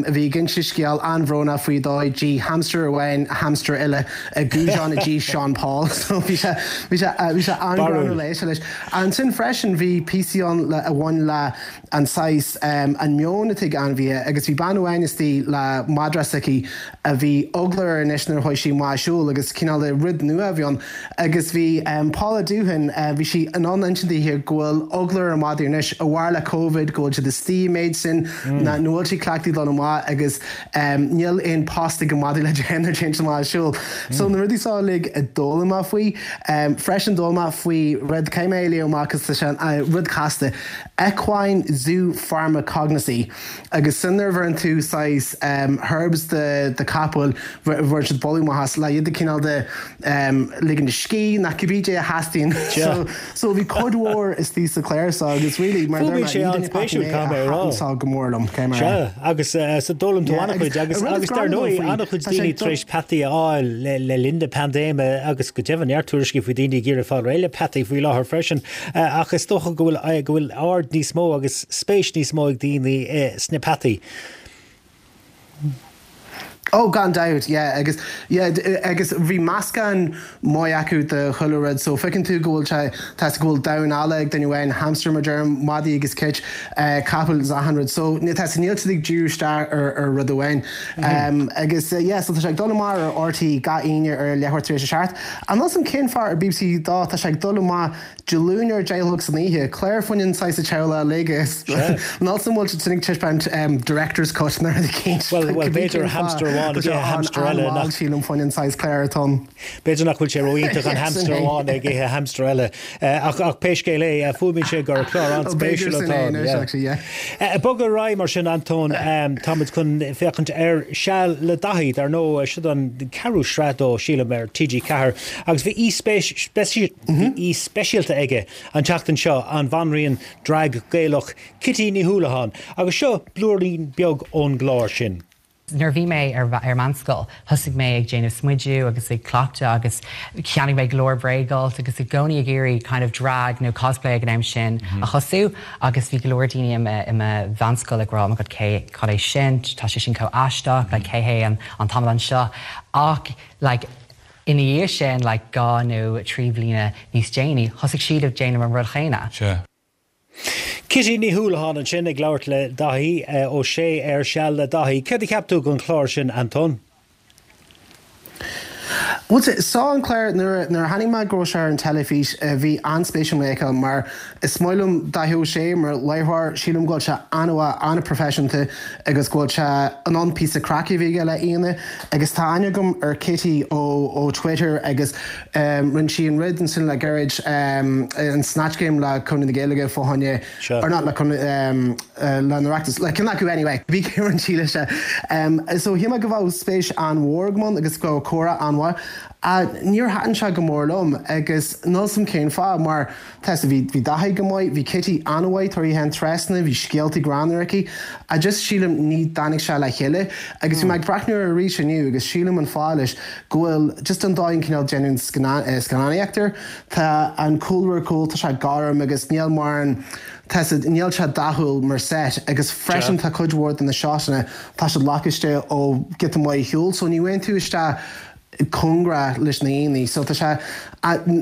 a bhí ag inse scéal an-bhrónach faoi dóigh d'ith hamster amháin hamster eile i gcuaseán i dtigh Sean Paul so bhí sé bhí sé bhí sé an-ghreannmhar le éisteacht leis. Ansin freisin bhí píosaí ann le a bhain le an saghas, an meon atá ag ainmhithe agus bhí bean amháin istigh le madra s'aici a bhí eagla uirthi anois nuair a chuaigh sí amach ag siúl agus cineál de rud nua a bhí ann agus bhí Paula Duff. Dúthain, bhí sí in ann insint daoithe go bhfuil eagla ar a madaí anois, a bharr le Covid, go bhfuil siad istigh an méid sin, nach bhfuil siad cleachtaithe dul amach agus níl aon post ag an madaí le déanamh nuair a théann siad amach ag siúl. So na rudaí seo uilig a d'fhoghlaim mé faoi. Freisin d'fhoghlaim mé faoi rud, caithfidh mé é a léamh amach cos tá sé rud casta, equine zoopharmacognosy. Agus sin nuair a bheireann tú saghas herbs do do capaill, bhfuair siad boladh maith as, le iad a cineál de ligean a scíth, nó cibé dé a theastaíonn. So, so bhí cuid mhór istigh sa chlár seo agus really, mar a deir mé, ní duine spéisiúil, mé a caithfidh mé a rá. thaitin seo go mór liom, caithfidh mé a rá. Sea, agus so d'fhoghlaim tú Yeah, agus an-chuid agus an rud is agus dar greannmhar ndóigh faoi, an-chuid tá sé daoine ag tar dul éis peataí a fháil le le linn na paindéime agus go deimhin neart tuairiscí faoi daoine ag iarraidh fáil réidh le peataí faoi láthair freisin. Ach is dócha go bhfuil go bhfuil aird níos mó agus spéis níos mó ag daoine sna peataí. Oh gan dabht, yeah agus yeah agus bhí meascán maith acu de chuile rud so feiceann tú go bhfuil sé tá go bhfuil damhán alla ag duine amháin, hamster mar deirim, madaí agus cait, capaill is achan rud so tá níl siad ag díriú isteach ar ar rud amháin. Agus yeah so tá sé ag dul amach ar RTÉ gach Aoine ar leathuair tar éis a 7. Níl a fhios a'm cén fáth ar BBC 2 tá sé ag dul amach Dé Luain ar 10 a chlog san oíche, clár fá choinne an saghas teaghlach uilig is níl a fhios a'm an bhfuil siad sin ag taispeáint director's cut nó rud eicínt. Bhuel, bhuel, b'fhéidir hamster amháin ag ithe hamster eile nach. Sílim fá choinne an saghas clár atá ann. B'fhéidir nach bhfuil sé ró-iontach an hamster amháin ag ithe hamster eile. Ach, ach pé scéal é, fuaimíonn sé gur clár an-spéisiúil atá ann. B'fhéidir sin é anois, actually, yeah. Bog ar aghaidh mar sin, Antóin, táimid chun féachaint ar Seal le Daithí, dar ndóigh, siod an ceathrú sraith dó, sílim, ar TG4, agus bhí aoi Bhí aoi speisialta aige an tseachtain seo, an bhanríon drag Gaelach Kitty Ní Houlihane, agus seo blúirín beag ón gclár sin. Nuair a bhí mé ar ar meánscoil, thosaigh mé ag déanamh smidiú agus ag cleachtadh agus cheannaigh mé go leor bréagalt agus i gcónaí ag iarraidh kind of drag nó cosplay ag an am sin a thosú agus bhí go leor daoine i mo i mo mheánscoil ag rá oh my god cé cad é sin, tá sé sin chomh aisteach, like cé hé an an t-amadán seo ach like Ina dhiaidh sin, like 2 nó 3 bhliana níos déanaí, thosaigh siad ag déanamh an rud chéanna. Sea. Kitty Ní Houlihane ansin ag labhairt le Daithí Ó Sé ar Seal le Daithí. Céard a cheap tú den chlár sin, Antóin? Bhuel, seo an clár, nuair a chonaic mé go raibh sé ar an teilifís, bhí an-spéis agam é a fheiceáil mar Is maith liom Daithí Ó Sé mar láithreoir, sílim go bhfuil sé an-mhaith, an-proifisiúnta agus go bhfuil sé in ann píosa craic a bheith aige le aíonna. Agus tá aithne agam ar Kitty ó ó Twitter agus rinne sí an rud ansin le gairid, an Snatch Game le Conradh na Gaeilge fá choinne, or not le Conradh, le an Oireachtas, le ceann acu anyway, bhí rinne sí leis. So shíl mé go bheadh spéis an-mhór agam ann agus go bheadh comhrá an-mhaith. Níor thaitin sé go mór liom agus níl 's a'm cén fáth mar Tá, bhí, bhí Daithí go maith, bhí Kitty an-mhaith tar í féin trasna, bhí scéaltaí greannmhar aici, I just sílim ní dtáinig sé le chéile agus bhí mé ag breathnú air arís inniu agus sílim an fáth leis go bhfuil just an dóigh an cineál déanamh scannánaíocht air, tá an cúlra ar cúl, tá sé gorm agus níl mar an, tá sé, níl sé dathúil mar set agus freisin tá cuid mhór de na shotanna, tá siad lacáiste ó giota maith ar shiúl so ní bheidh tú isteach cóngarach leis na haíonna so tá sé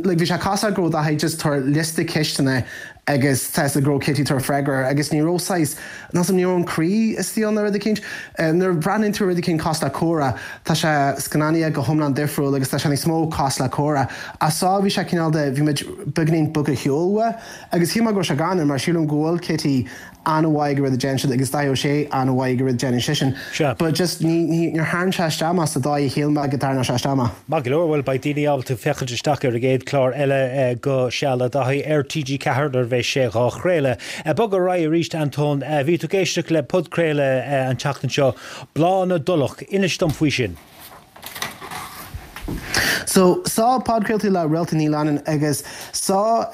like bhí sé cosúil go raibh Daithí just tabhairt liosta ceisteanna agus tá go raibh Kitty tabhairt freagra agus ní raibh saghas níl 's a'm ní raibh an croí istigh ann nó rud eicínt. Nuair a bhreathnaíonn tú ar rud eicínt cosúil le Comhrá tá sé scannánaithe go hiomlán difriúil agus tá sé níos mó cosúil le Comhrá. Ach seo bhí sé cineál de bhí muid beagainín bogtha ar shiúl uaidh agus shíl mé go raibh sé greannmhar mar sílim go bhfuil Kitty an-mhaith ag an rud a déanann siad agus Daithí Ó Sé an-mhaith ag an rud a déanann seisean. Sea. But just ní, ní, níor tharraing sé isteach mé sa dóigh a shíl mé go dtarraingeodh sé isteach mé. Maith go leor, bhuel beidh daoine ábalta féachaint isteach ar an gcéad chlár eile de Seal le Daithí ar TG4 nuair a bheidh sé dhá chraoladh. Bog ar aghaidh arís Antóin, bhí tú ag éisteacht le podchraoladh an tseachtain seo, Bláth na dTulach, inis dom faoi sin. So, seo podchraoltaí le Réalta Ní Leannáin agus seo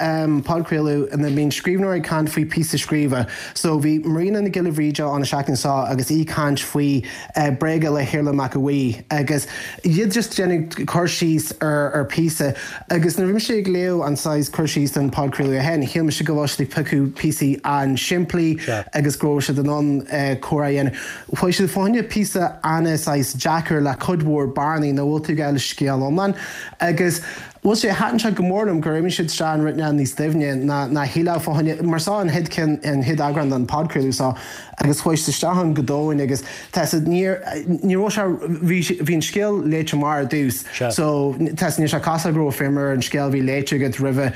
podchraoladh ina mbíonn scríbhneoir ag caint faoi píosa scríofa. So, bhí Marina Nic Giolla Bhríde ann an seachtain seo agus í ag caint faoi Bréaga le hIarla Mac a' Bhuí agus iad just déanamh cur síos ar ar píosa agus nuair a bhí mise ag léamh an saghas cur síos don podchraoladh é féin, shíl mise go bhfuil siad ag piocadh píosaí an-simplí agus go raibh siad in ann comhrá a dhéanamh. Chuaigh siad fá choinne píosa ana saghas deacair le cuid mhór bearnaí nach bhfuil tú ag fháil scéal iomlán agus. Bhuel sé, thaitin sé go mór liom gur imigh siad isteach in ruainne níos doimhne ná ná shílfeá fá choinne, mar seo an chéad ceann, an chéad eagrán den podchraoladh seo agus chuaigh siad isteach ann go domhain agus tá a fhios agat níor, ní raibh sé, bhí, bhí an scéal léite amach ar dtús so tá a fhios agat níl sé cosúil go raibh feidhm ar an scéal a bhí léite agat roimhe.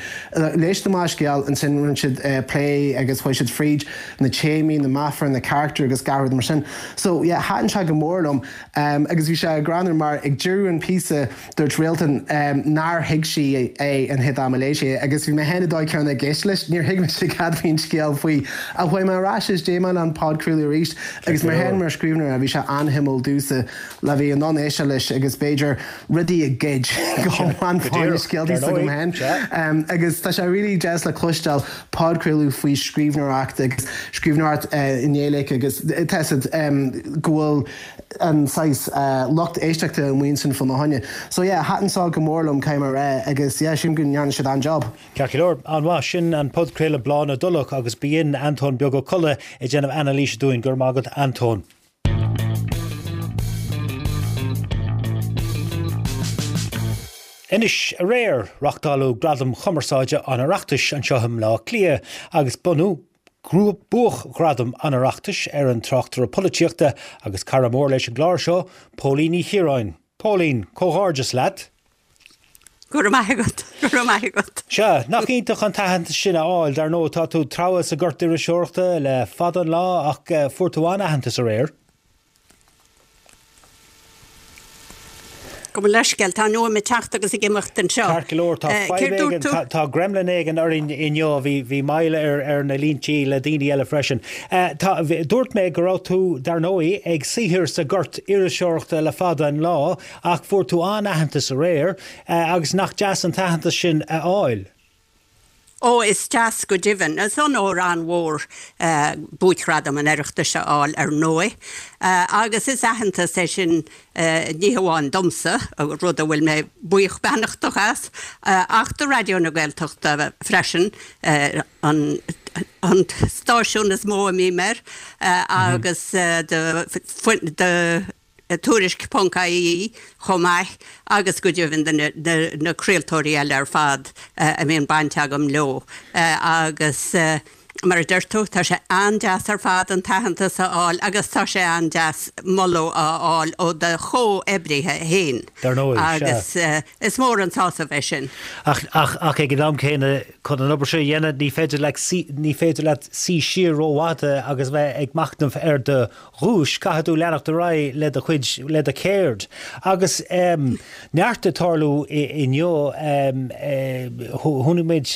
Léigh siad amach an scéal ansin rinne siad plé agus chuaigh siad fríd na téamaí, na meafair, na carachtair agus gach rud mar sin. So yeah, thaitin sé go mór liom agus bhí sé greannmhar mar ag deireadh an phíosa, Dúirt Réaltán nár thuig sí é an chéad am a léigh sí é agus bhí mé féin an dóigh céanna ag éisteacht leis, níor thuig mise cad bhí an scéal faoi. Ach chuaigh mé ar ais is d'éist mé le an podchraoladh arís agus mé féin mar scríbhneoir bhí sé an-shuimiúil domhsa le bheith in ann éisteacht leis agus b'fhéidir rudaí a ghoid go hiomlán fá na scéaltaí s'agam féin. Agus tá sé really deas le cloisteáil podchraoladh faoi scríbhneoireacht agus scríbhneoireacht i nGaeilge agus tá a fhios agat go bhfuil an saghas lucht éisteachta amuigh ansin fá choinne. So yeah, thaitin seo go mór liom, caithfidh mé a rá, agus yeah, sílim go ndearna siad an-job. Ceart go leor, an-mhaith. Sin an podchraoladh Bláth na dTulach agus b'in Antóin Beag Ó Colla ag déanamh anailíse dúinn. Go raibh maith agat, Antóin. Anois, aréir, reáchtáladh Gradaim Chumarsáide an Oireachtais anseo i mBleá Cliath agus bronnadh Buaicghradam an Oireachtais ar an tráchtaire polaitíochta agus cara mór leis an gclár seo, Póilín Ní Chiaráin. Póilín, comhghairdeas leat! Go raibh maith agat, go raibh maith agat. Sea, nach iontach an t-aitheantas sin a fháil. Dar ndóigh, tá tú treabhadh sa gort iriseoireachta le fada an lá ach fuair tú an-aitheantas aréir. Gabh mo leithscéal, tá an fhuaim ag teacht agus ag imeacht anseo. Ceart go leor, tá fadhb éigin, tá gremlin éigin orainn inniu, bhí moill ar ar na líntí le daoine eile freisin. Tá, dúirt mé go raibh tú, dar ndóigh, ag saothar sa gort iriseoireachta le fada an lá ach fuair tú an-aitheantas aréir agus nach deas an t-aitheantas sin a fháil? Ó, is deas go deimhin. Is onóir an-mhór Buaicghradam an Oireachtais a fháil ar ndóigh, agus is aitheantas é sin ní hamháin domsa, rud a bhfuil mé buíoch beannachtach as, ach do Raidió na Gaeltachta freisin, an stáisiún is mó a mbím air, agus do Tuairisc ponc ie chomh maith agus go deimhin do na craoltóirí eile ar fad a mbíonn baint agam leo agus mar a deir tú, tá sé an-deas ar fad an t-aitheantas a fháil agus tá sé an-deas moladh a fháil ó do chomhoibrithe féin Dar ndóigh, sea. agus is mór an sásamh é sin. Ach, ach, ach ag an am céanna, chun an obair seo a dhéanamh, ní féidir leat, ní féidir leat suí siar rófhada agus bheith ag machnamh ar do dhuais, caithfidh tú leanacht ar aghaidh le do chuid, le do cheird. Agus neart ag tarlú inniu, chonaic muid,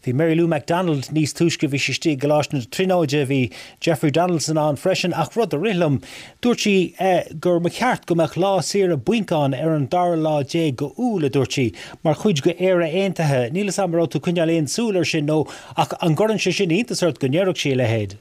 bhí Mary Lou McDonald níos túisce, bhí sí istigh i gColáiste na Tríonóide, bhí Jeffrey Donaldson ann freisin, ach rud a rith liom, dúirt sí gur mba cheart go mbeadh lá saoire bainc ann ar an dara lá déag go Iúil, a dúirt sí, mar chuid go Éire Aontaithe. Níl 'fhios a'm an raibh tú ag coinneáil aon súil air sin nó, ach an gcuireann sé sin iontas ort go ndéarfadh sí a leithéid?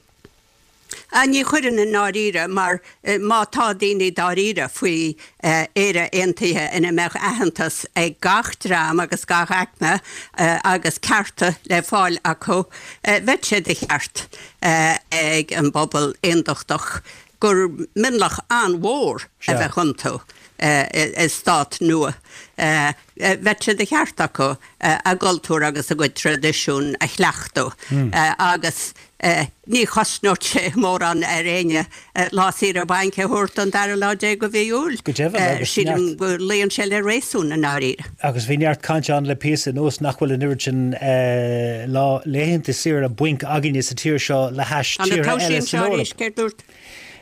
Ní chuireann i ndáiríre, mar má tá daoine dáiríre faoi Éire Aontaithe ina mbeadh aitheantas ag gach dream agus gach aicme agus cearta le fáil acu, bheadh sé de cheart ag an bpobal aondachtach gur mionlach an-mhór a bheadh iontu i stát nua. Bheadh sé de cheart acu a gcultúr agus a gcuid traidisiún a chleachtadh agus Ní chosnódh sé mórán ar éinne lá saoire bainc a thabhairt don dara lá déag de mhí Iúil. Go deimhin, agus Sílim neart. go luíonn sé le réasún i ndáiríre. Agus bhí neart cainte ann le píosa anuas nach bhfuil an oiread sin lá laethanta saoire bainc againne sa tír seo le hais Tá na tíortha tomhaisí eile anseo san arís, Eoraip. céard dúirt?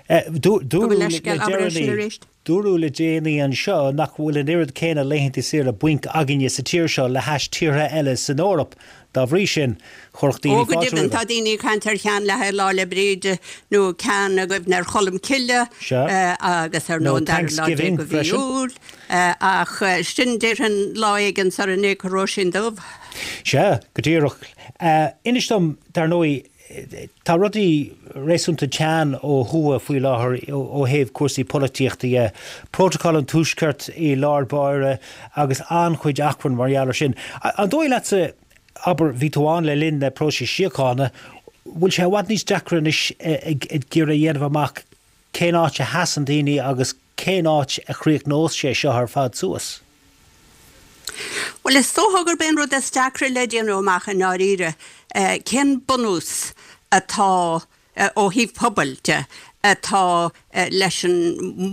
Gabh mo Dúradh le leithscéal, abair é sin deireanaí. arís. Dúradh le déanaí anseo nach bhfuil an oiread céanna laethanta saoire bainc againne sa tír seo le hais tíortha eile san Eoraip. Dá bhrí sin, chuirfeadh Ó, daoine go fáilte deimhin, roimhe. tá daoine ag caint ar cheann le haghaidh Lá 'le Bríde nó ceann i gcuimhne ar Cholm Cille Sea. agus ar Nó ndóigh an dara lá déag Thanksgiving de mhí freisin. Iúil. Ach sin déarfainn lá éigin sara n-éagfaidh Róisín Dubh. Sea, go díreach. Inis dom, dar ndóigh, Tá rudaí réasúnta teann ó thuaidh faoi láthair ó thaobh cúrsaí polaitíochta dhe. Prótacal an Tuaiscirt i lár báire agus an-chuid achrainn mar gheall ar sin. An dóigh leatsa, abair, bhí tú ann le linn na próisis síochána, bhfuil sé i bhfad níos deacra anois ag iarraidh a dhéanamh amach cén áit a sheasann daoine agus cén áit a chríochnós sé seo ar fad suas? Bhuel, is dócha gurb é an rud is deacra le déanamh amach i ndáiríre cén bunús atá, ó thaobh pobail de, atá leis an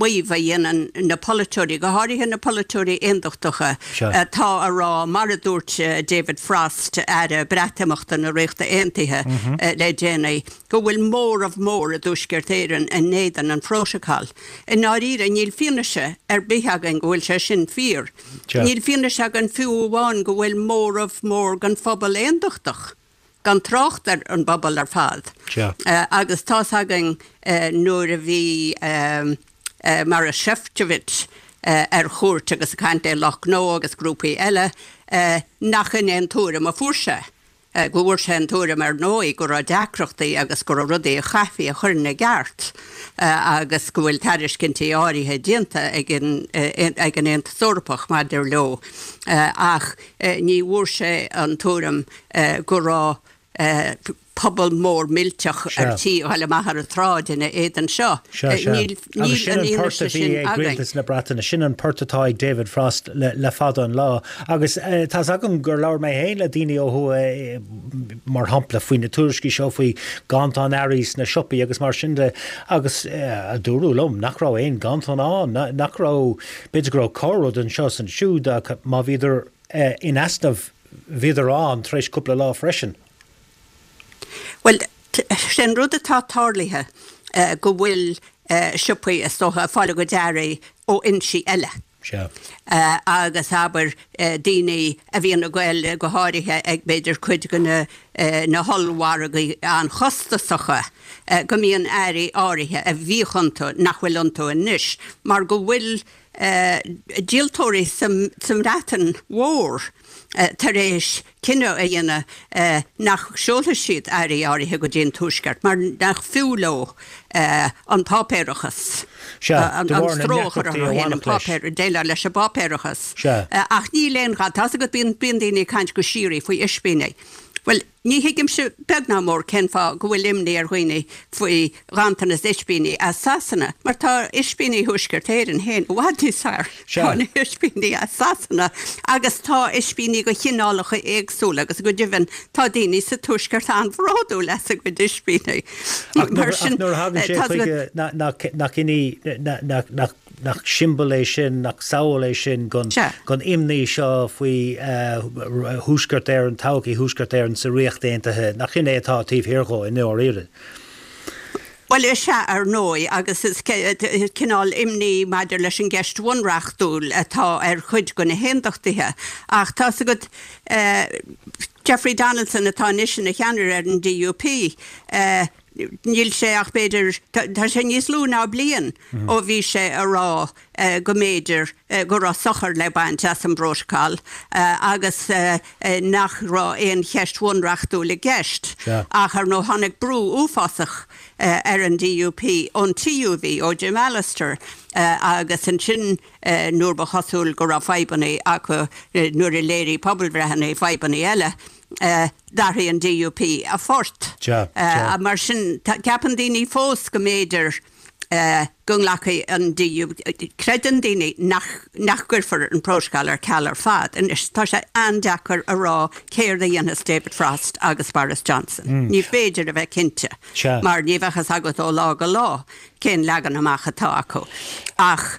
maíomh a dhéanann na polaiteoirí, go háirithe na polaiteoirí aondachtacha, atá a rá, mar a dúirt David Frost, Aire Breatimeachta na Ríochta Aontaithe le déanaí, go bhfuil móramh mór i dTuaisceart Éireann in éadan an Phrótacail. I ndáiríre, níl fianaise ar bith againn go bhfuil sé sin fíor. Níl fianaise againn fiú amháin go bhfuil móramh mór den phobal aondachtach, gan trácht ar an bpobal ar fad. Agus tá's againn nuair a bhí Maroš Šefčovič ar chuairt agus ag caint le lucht gnó agus grúpaí eile, nach in é an tuairim a fuair sé. go bhfuair sé an tuairim ar ndóigh go raibh deacrachtaí agus go raibh rudaí a chaithfí a chur ina gceart agus go bhfuil tairiscintí áirithe déanta ag an ag an Aontas Eorpach maidir leo ach ní bhfuair sé an tuairim go raibh pobal mór millteach ar tí a ghoil amach ar an tsráid ina éadan seo. Sea, sea. Níl Agus sin an an port a bhí ag rialtas na Breataine, sin an port atá ag David Frost le fada an lá. Agus tá's agam gur labhair mé féin le daoine ó thuaidh, mar shampla, faoi na tuairiscí seo faoi ghanntan earraí sna siopaí agus mar sin de, agus dúradh liom nach raibh aon ghanntan ann, nach raibh, b'fhéidir go raibh corr-rud anseo is ansiúd ach má bhíodar in easnamh, bhíodar ann tar éis cúpla lá freisin. Bhuel, sé an rud atá tarlaithe go bhfuil siopaí, is dócha, ag fáil a gcuid earraí ó fhoinsí eile. Sea. Agus abair, daoine a bhíonn ag goil, go háirithe ag b'fhéidir cuid de na na hollmhargaí an-chostasacha, go mbíonn earraí áirithe a bhíodh iontu nach bhfuil iontu anois mar go bhfuil díoltóirí sa mBreatain Mhór tar éis cinneadh a dhéanamh nach seolfaidh siad earraí áirithe go dtí an Tuaisceart mar nach fiú leo an páipéarachas, an stró a chur orthu féin an páipéar, déileáil leis an bpáipéarachas. Ach níl aon gha, tá's agat, bíonn daoine ag caint go síoraí faoi ispíní. Bhuel, Ní thuigimse beag ná mór cén fáth go bhfuil imní ar dhaoine faoi ghanntanas ispíní as Sasana, mar tá ispíní Thuaisceart Éireann féin i bhfad níos fearr ná na hispíní as Sasana agus tá ispíní de chineálacha éagsúla agus go deimhin tá daoine sa Tuaisceart an-bhródúil as a gcuid ispíní. Ach nuair a thagann sé chuige nach in í, nach Nach siombail é sin, nach samhail é sin den imní seo faoi Thuaisceart Éireann, todhchaí Thuaisceart Éireann sa Ríocht Aontaithe? Nach in é atá taobh thiar dhó, i ndáiríre? Bhuel, is ea, ar ndóigh, agus is cineál imní maidir leis an gceist bhunreachtúil atá ar chuid de na haondachtaithe. Ach tá's agat, Jeffrey Donaldson atá anois ina cheannaire ar an DUP, Níl sé ach b'fhéidir, tá sé níos lú ná bliain ó bhí sé a rá go mb'fhéidir go raibh sochar le baint as an bprótacal agus nach raibh aon cheist bhunreachtúil i gceist. Ach ar ndóigh tháinig brú uafásach ar an DUP ón TUV, ó Jim Allister agus ansin nuair ba chosúil go raibh fadhbanna acu, nuair a léirigh pobalbhreitheanna fadhbanna eile, D'athraigh an DUP a phort. Mar sin, ceapann daoine fós go mb'fhéidir go nglacfaidh an DUP, creideann daoine nach gcuirfear an prótacal ar ceal ar fad. Anois, tá sé an-deacair a rá céard a dhéanfas David Frost agus Boris Johnson. Ní féidir a bheith cinnte mar ní bheadh fhios agat ó lá go lá cén leagan amach atá acu. Ach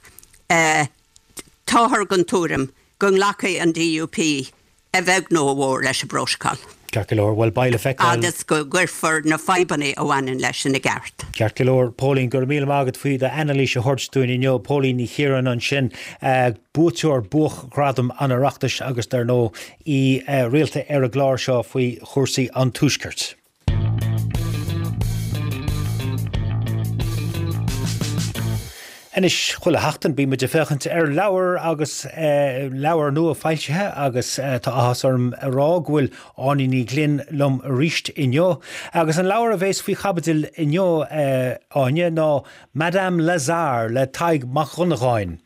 táthar den tuairim go nglacfaidh an DUP a bheag nó a mhór leis an bprótacal. Ceart go leor, bhuel beidh le feiceáil. Agus go gcuirfear na fadhbanna a bhaineann leis ina gceart. Ceart go leor, Póilín, go raibh míle maith agat faoi d'anailís a thabhairt dúinn inniu. Póilín Ní Chiaráin ansin, buaiteoir Buaicghradam an Oireachtais agus dar ndóigh aoi rialta ar an gclár seo faoi chúrsaí an Tuaiscirt. Anois, chuile sheachtain bíonn muid ag féachaint ar leabhar agus leabhar nua foilsithe agus tá áthas orm a rá go bhfuil Áine Ní Ghlinn liom arís inniu. Agus an leabhar a bhéas faoi chaibidil inniu, Áine, ná Madame Lazare le Tadhg Mac Dhonnagáin.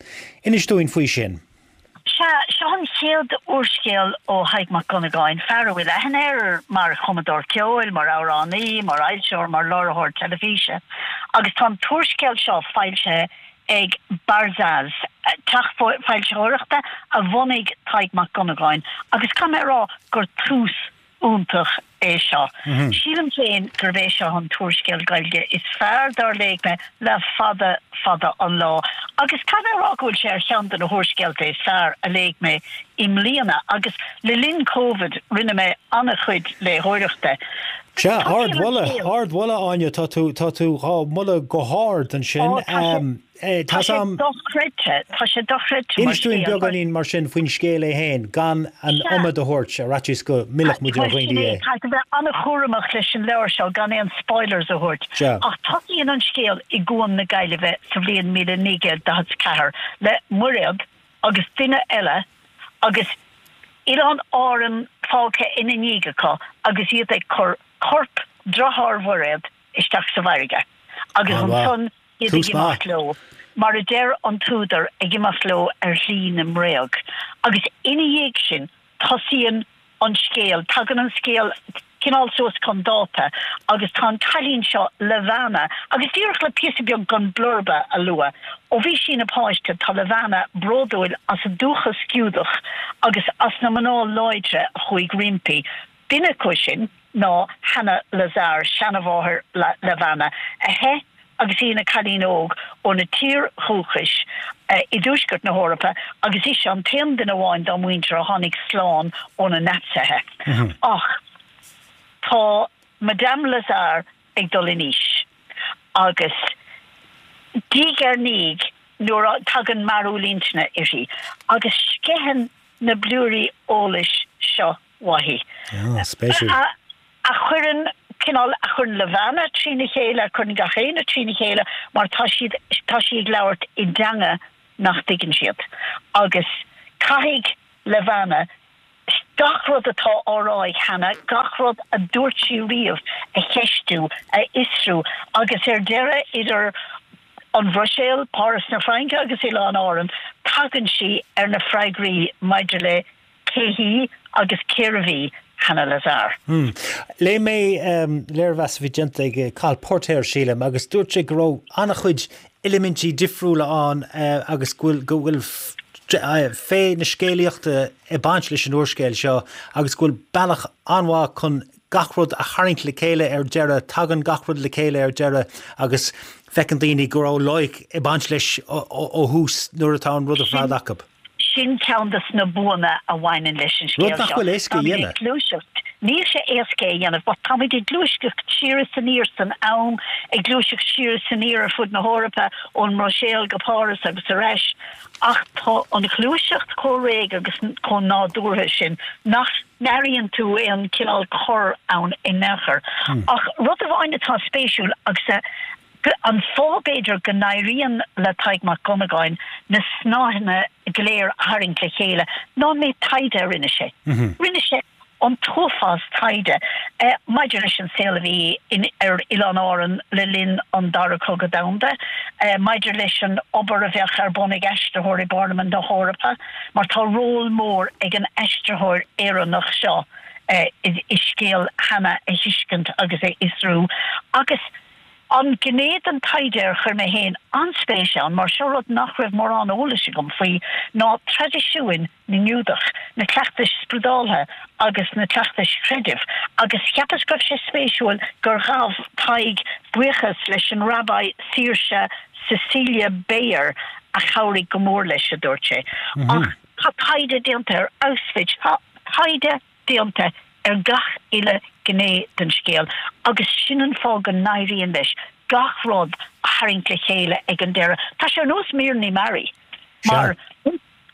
Inis dúinn faoi sin. Sea, seo an chéad úrscéal ó Thadhg Mac Dhonnagáin, fear a bhfuil aithne air mar chumadóir ceoil, mar amhránaí, mar fhoilsitheoir, mar láithreoir teilifíse, agus tá an t-úrscéal seo foilsithe ag Barzaz, teach foilsitheoireachta a bhunaigh Tadhg Mac Dhonnagáin, agus caithfidh mé a rá gur tús iontach é seo. Sílim féin gurb é seo an t-úrscéal Gaeilge is fearr dár léigh mé le fada fada an lá agus caithfidh mé a rá go bhfuil sé ar cheann de na húrscéalta is fearr a léigh mé i mbliana agus le linn Covid rinne mé an-chuid léitheoireachta. Sea, ardmholadh, ardmholadh Áine, tá tú, tá tú dhá mholadh go hard ansin. Ó, tá sé. Tá sé dochreidte, tá sé dochreidte mar scéal. Inis dúinn beagáinín mar sin faoin scéal é féin, gan an iomad a thabhairt, ar fhaitíos go millfeadh muid ar dhaoine é. Caithfidh tú bheith an-chúramach leis an leabhar seo gan aon spoilers a thabhairt. Ach tosaíonn an scéal i gCuan na Gaillimhe sa bhliain 1944 le Muiréad agus duine eile agus Oileán Árann fágtha ina ndiaidh acu agus iad ag cur corp dearthár Mhuiréad isteach sa bhfarraige agus ansan iad ag imeacht leo, mar a deir an t-údar, ag imeacht leo ar shlí na mbréag. Agus ina dhiaidh sin, tosaíonn an scéal, tagann an scéal cineál suas chun dáta agus tá an cailín seo, Levana, agus díreach le píosa beag den blurba a lua, ó bhí sí ina páiste tá Levana bródúil as a dúchas Giúdach agus as na mná láidre a chuaigh roimpi, Duine acu sin ná Hannah Lazar, seanamháthair Levana, a theith agus í ina cailín óg óna tír dhúchais i dtuaisceart na hEorpa agus ise an t-aon duine amháin dá muintir a tháinig slán ó na Naitsithe. Ach tá Madame Lazar ag dul in aois agus diaidh ar ndiaidh nuair a tagann mearúil intinne uirthi agus sceitheann na blúirí eolais seo uaithi. Spéisiúil. A chuireann, cineál, a chuireann Levana trína chéile, a chuireann gach éinne trína chéile mar tá siad, tá sí ag labhairt i dteanga nach dtuigeann siad. Agus caithfidh Levana gach rud atá á rá ag Hannah, gach rud a dúirt sí riamh a cheistiú, a fhiosrú agus ar deireadh idir an Bhruiséil, Páras na Fraince agus Oileáin Árann, tagann sí ar na freagraí maidir le Cé hí agus cérbh í Hannah Lazar? Léigh mé léirmheas a bhí déanta ag Cathal Póirtéir, sílim, agus dúirt sé go raibh an-chuid eilimintí difriúla ann agus go bhfuil, go bhfuil féith na scéalaíochta ag baint leis an úrscéal seo agus go bhfuil bealach an-mhaith chun gach rud a tharraingt le chéile ar deireadh, tagann gach rud le chéile ar deireadh agus feiceann daoine go raibh loighic ag baint leis ó thús nuair atá an rud ar fad acu. Sin ceann de na buanna a bhaineann leis an scéal seo. Rud nach bhfuil éasca a dhéanamh. Táimid ag gluaiseacht, níl sé éasca é a dhéanamh, but táimid ag gluaiseacht siar is aniar san am, ag gluaiseacht siar is aniar ar fud na hEorpa, ón mBruiséil go Páras agus ar ais, ach tá an ghluaiseacht chomh réidh agus chomh nádúrtha sin nach n-airíonn tú aon chineál cor ann in aon chor. Ach rud amháin atá spéisiúil agus a. An fáth, b'fhéidir, go n-éiríonn le Tadhg Mac Dhonnagáin na snáitheanna go léir a tharraingt le chéile ná an méid taighde a rinne sé. Rinne sé an t-uafás taighde maidir leis an saol a bhí ar Oileáin Árann le linn an Dara Cogadh Domhanda, maidir leis an obair a bheadh ar bun ag aistritheoir i bParlaimint na hEorpa, mar tá ról mór ag an aistritheoir Éireannach seo i scéal Hannah a thuiscint agus a fhiosrú. Agus. An ghné den taighde ar chuir mé féin an-spéis ann, mar seo rud nach raibh mórán eolais agam faoi, ná traidisiúin na nGiúdach, na cleachtais spioradáltha agus na cleachtais chreidimh, agus cheapas go raibh sé spéisiúil gur ghabh Tadhg buíochas leis an Rabbi Saoirse Cecilia Bayer a chabhraigh go mór leis, a dúirt sé. Ach tá taighde déanta ar Auschwitz, tá taighde. déanta ar gach uile ghné den scéal agus sin an fáth go n-éiríonn leis gach rud a tharraingt le chéile ag an deireadh. Tá sé ar nós míreanna mearaí mar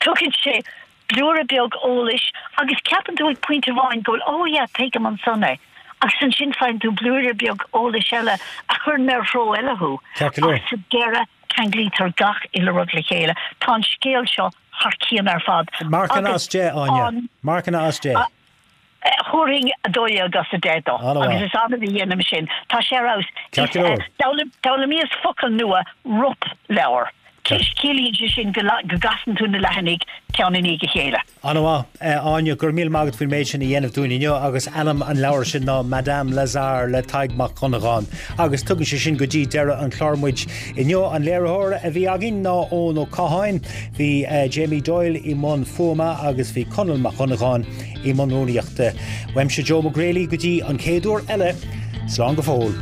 tugann sé blúire beag eolais agus ceapann tú ag pointe amháin go bhfuil oh yeah tuigim ansan é agus ansin faigheann tú blúire beag eolais eile a chuireann ar threo eile thú ach sa deireadh ceanglaítear gach uile rud le chéile. Tá an scéal seo thar cionn ar fad. Marcanna as 10, Áine. Marcanna as 10. Thabharfainn 12 as 10 dó. Agus is annamh a dhéanaim sin. Tá sé ar fheabhas. Ceart go leor. D'fhoghlaimíos focal nua, ropleabhar. Ciallaíonn sé sin go gcasann tú na leathanaigh ceann i ndiaidh a chéile. An-mhaith, Áine, go raibh míle maith agat faoin méid sin a dhéanamh dúinn inniu agus ainm an leabhair sin ná Madame Lazare le Tadhg Mac Dhonnagáin. Agus tugann sé sin go dtí deireadh an chláir muid inniu. An léiritheoir a bhí againn ná Eoin Ó Catháin, bhí Jamie Doyle i mbun fuaime agus bhí Conall Mac Dhonnagáin i mbun rúnaíochta. Uaimse Joe Mac Greally go dtí an chéad uair eile, slán go fóill.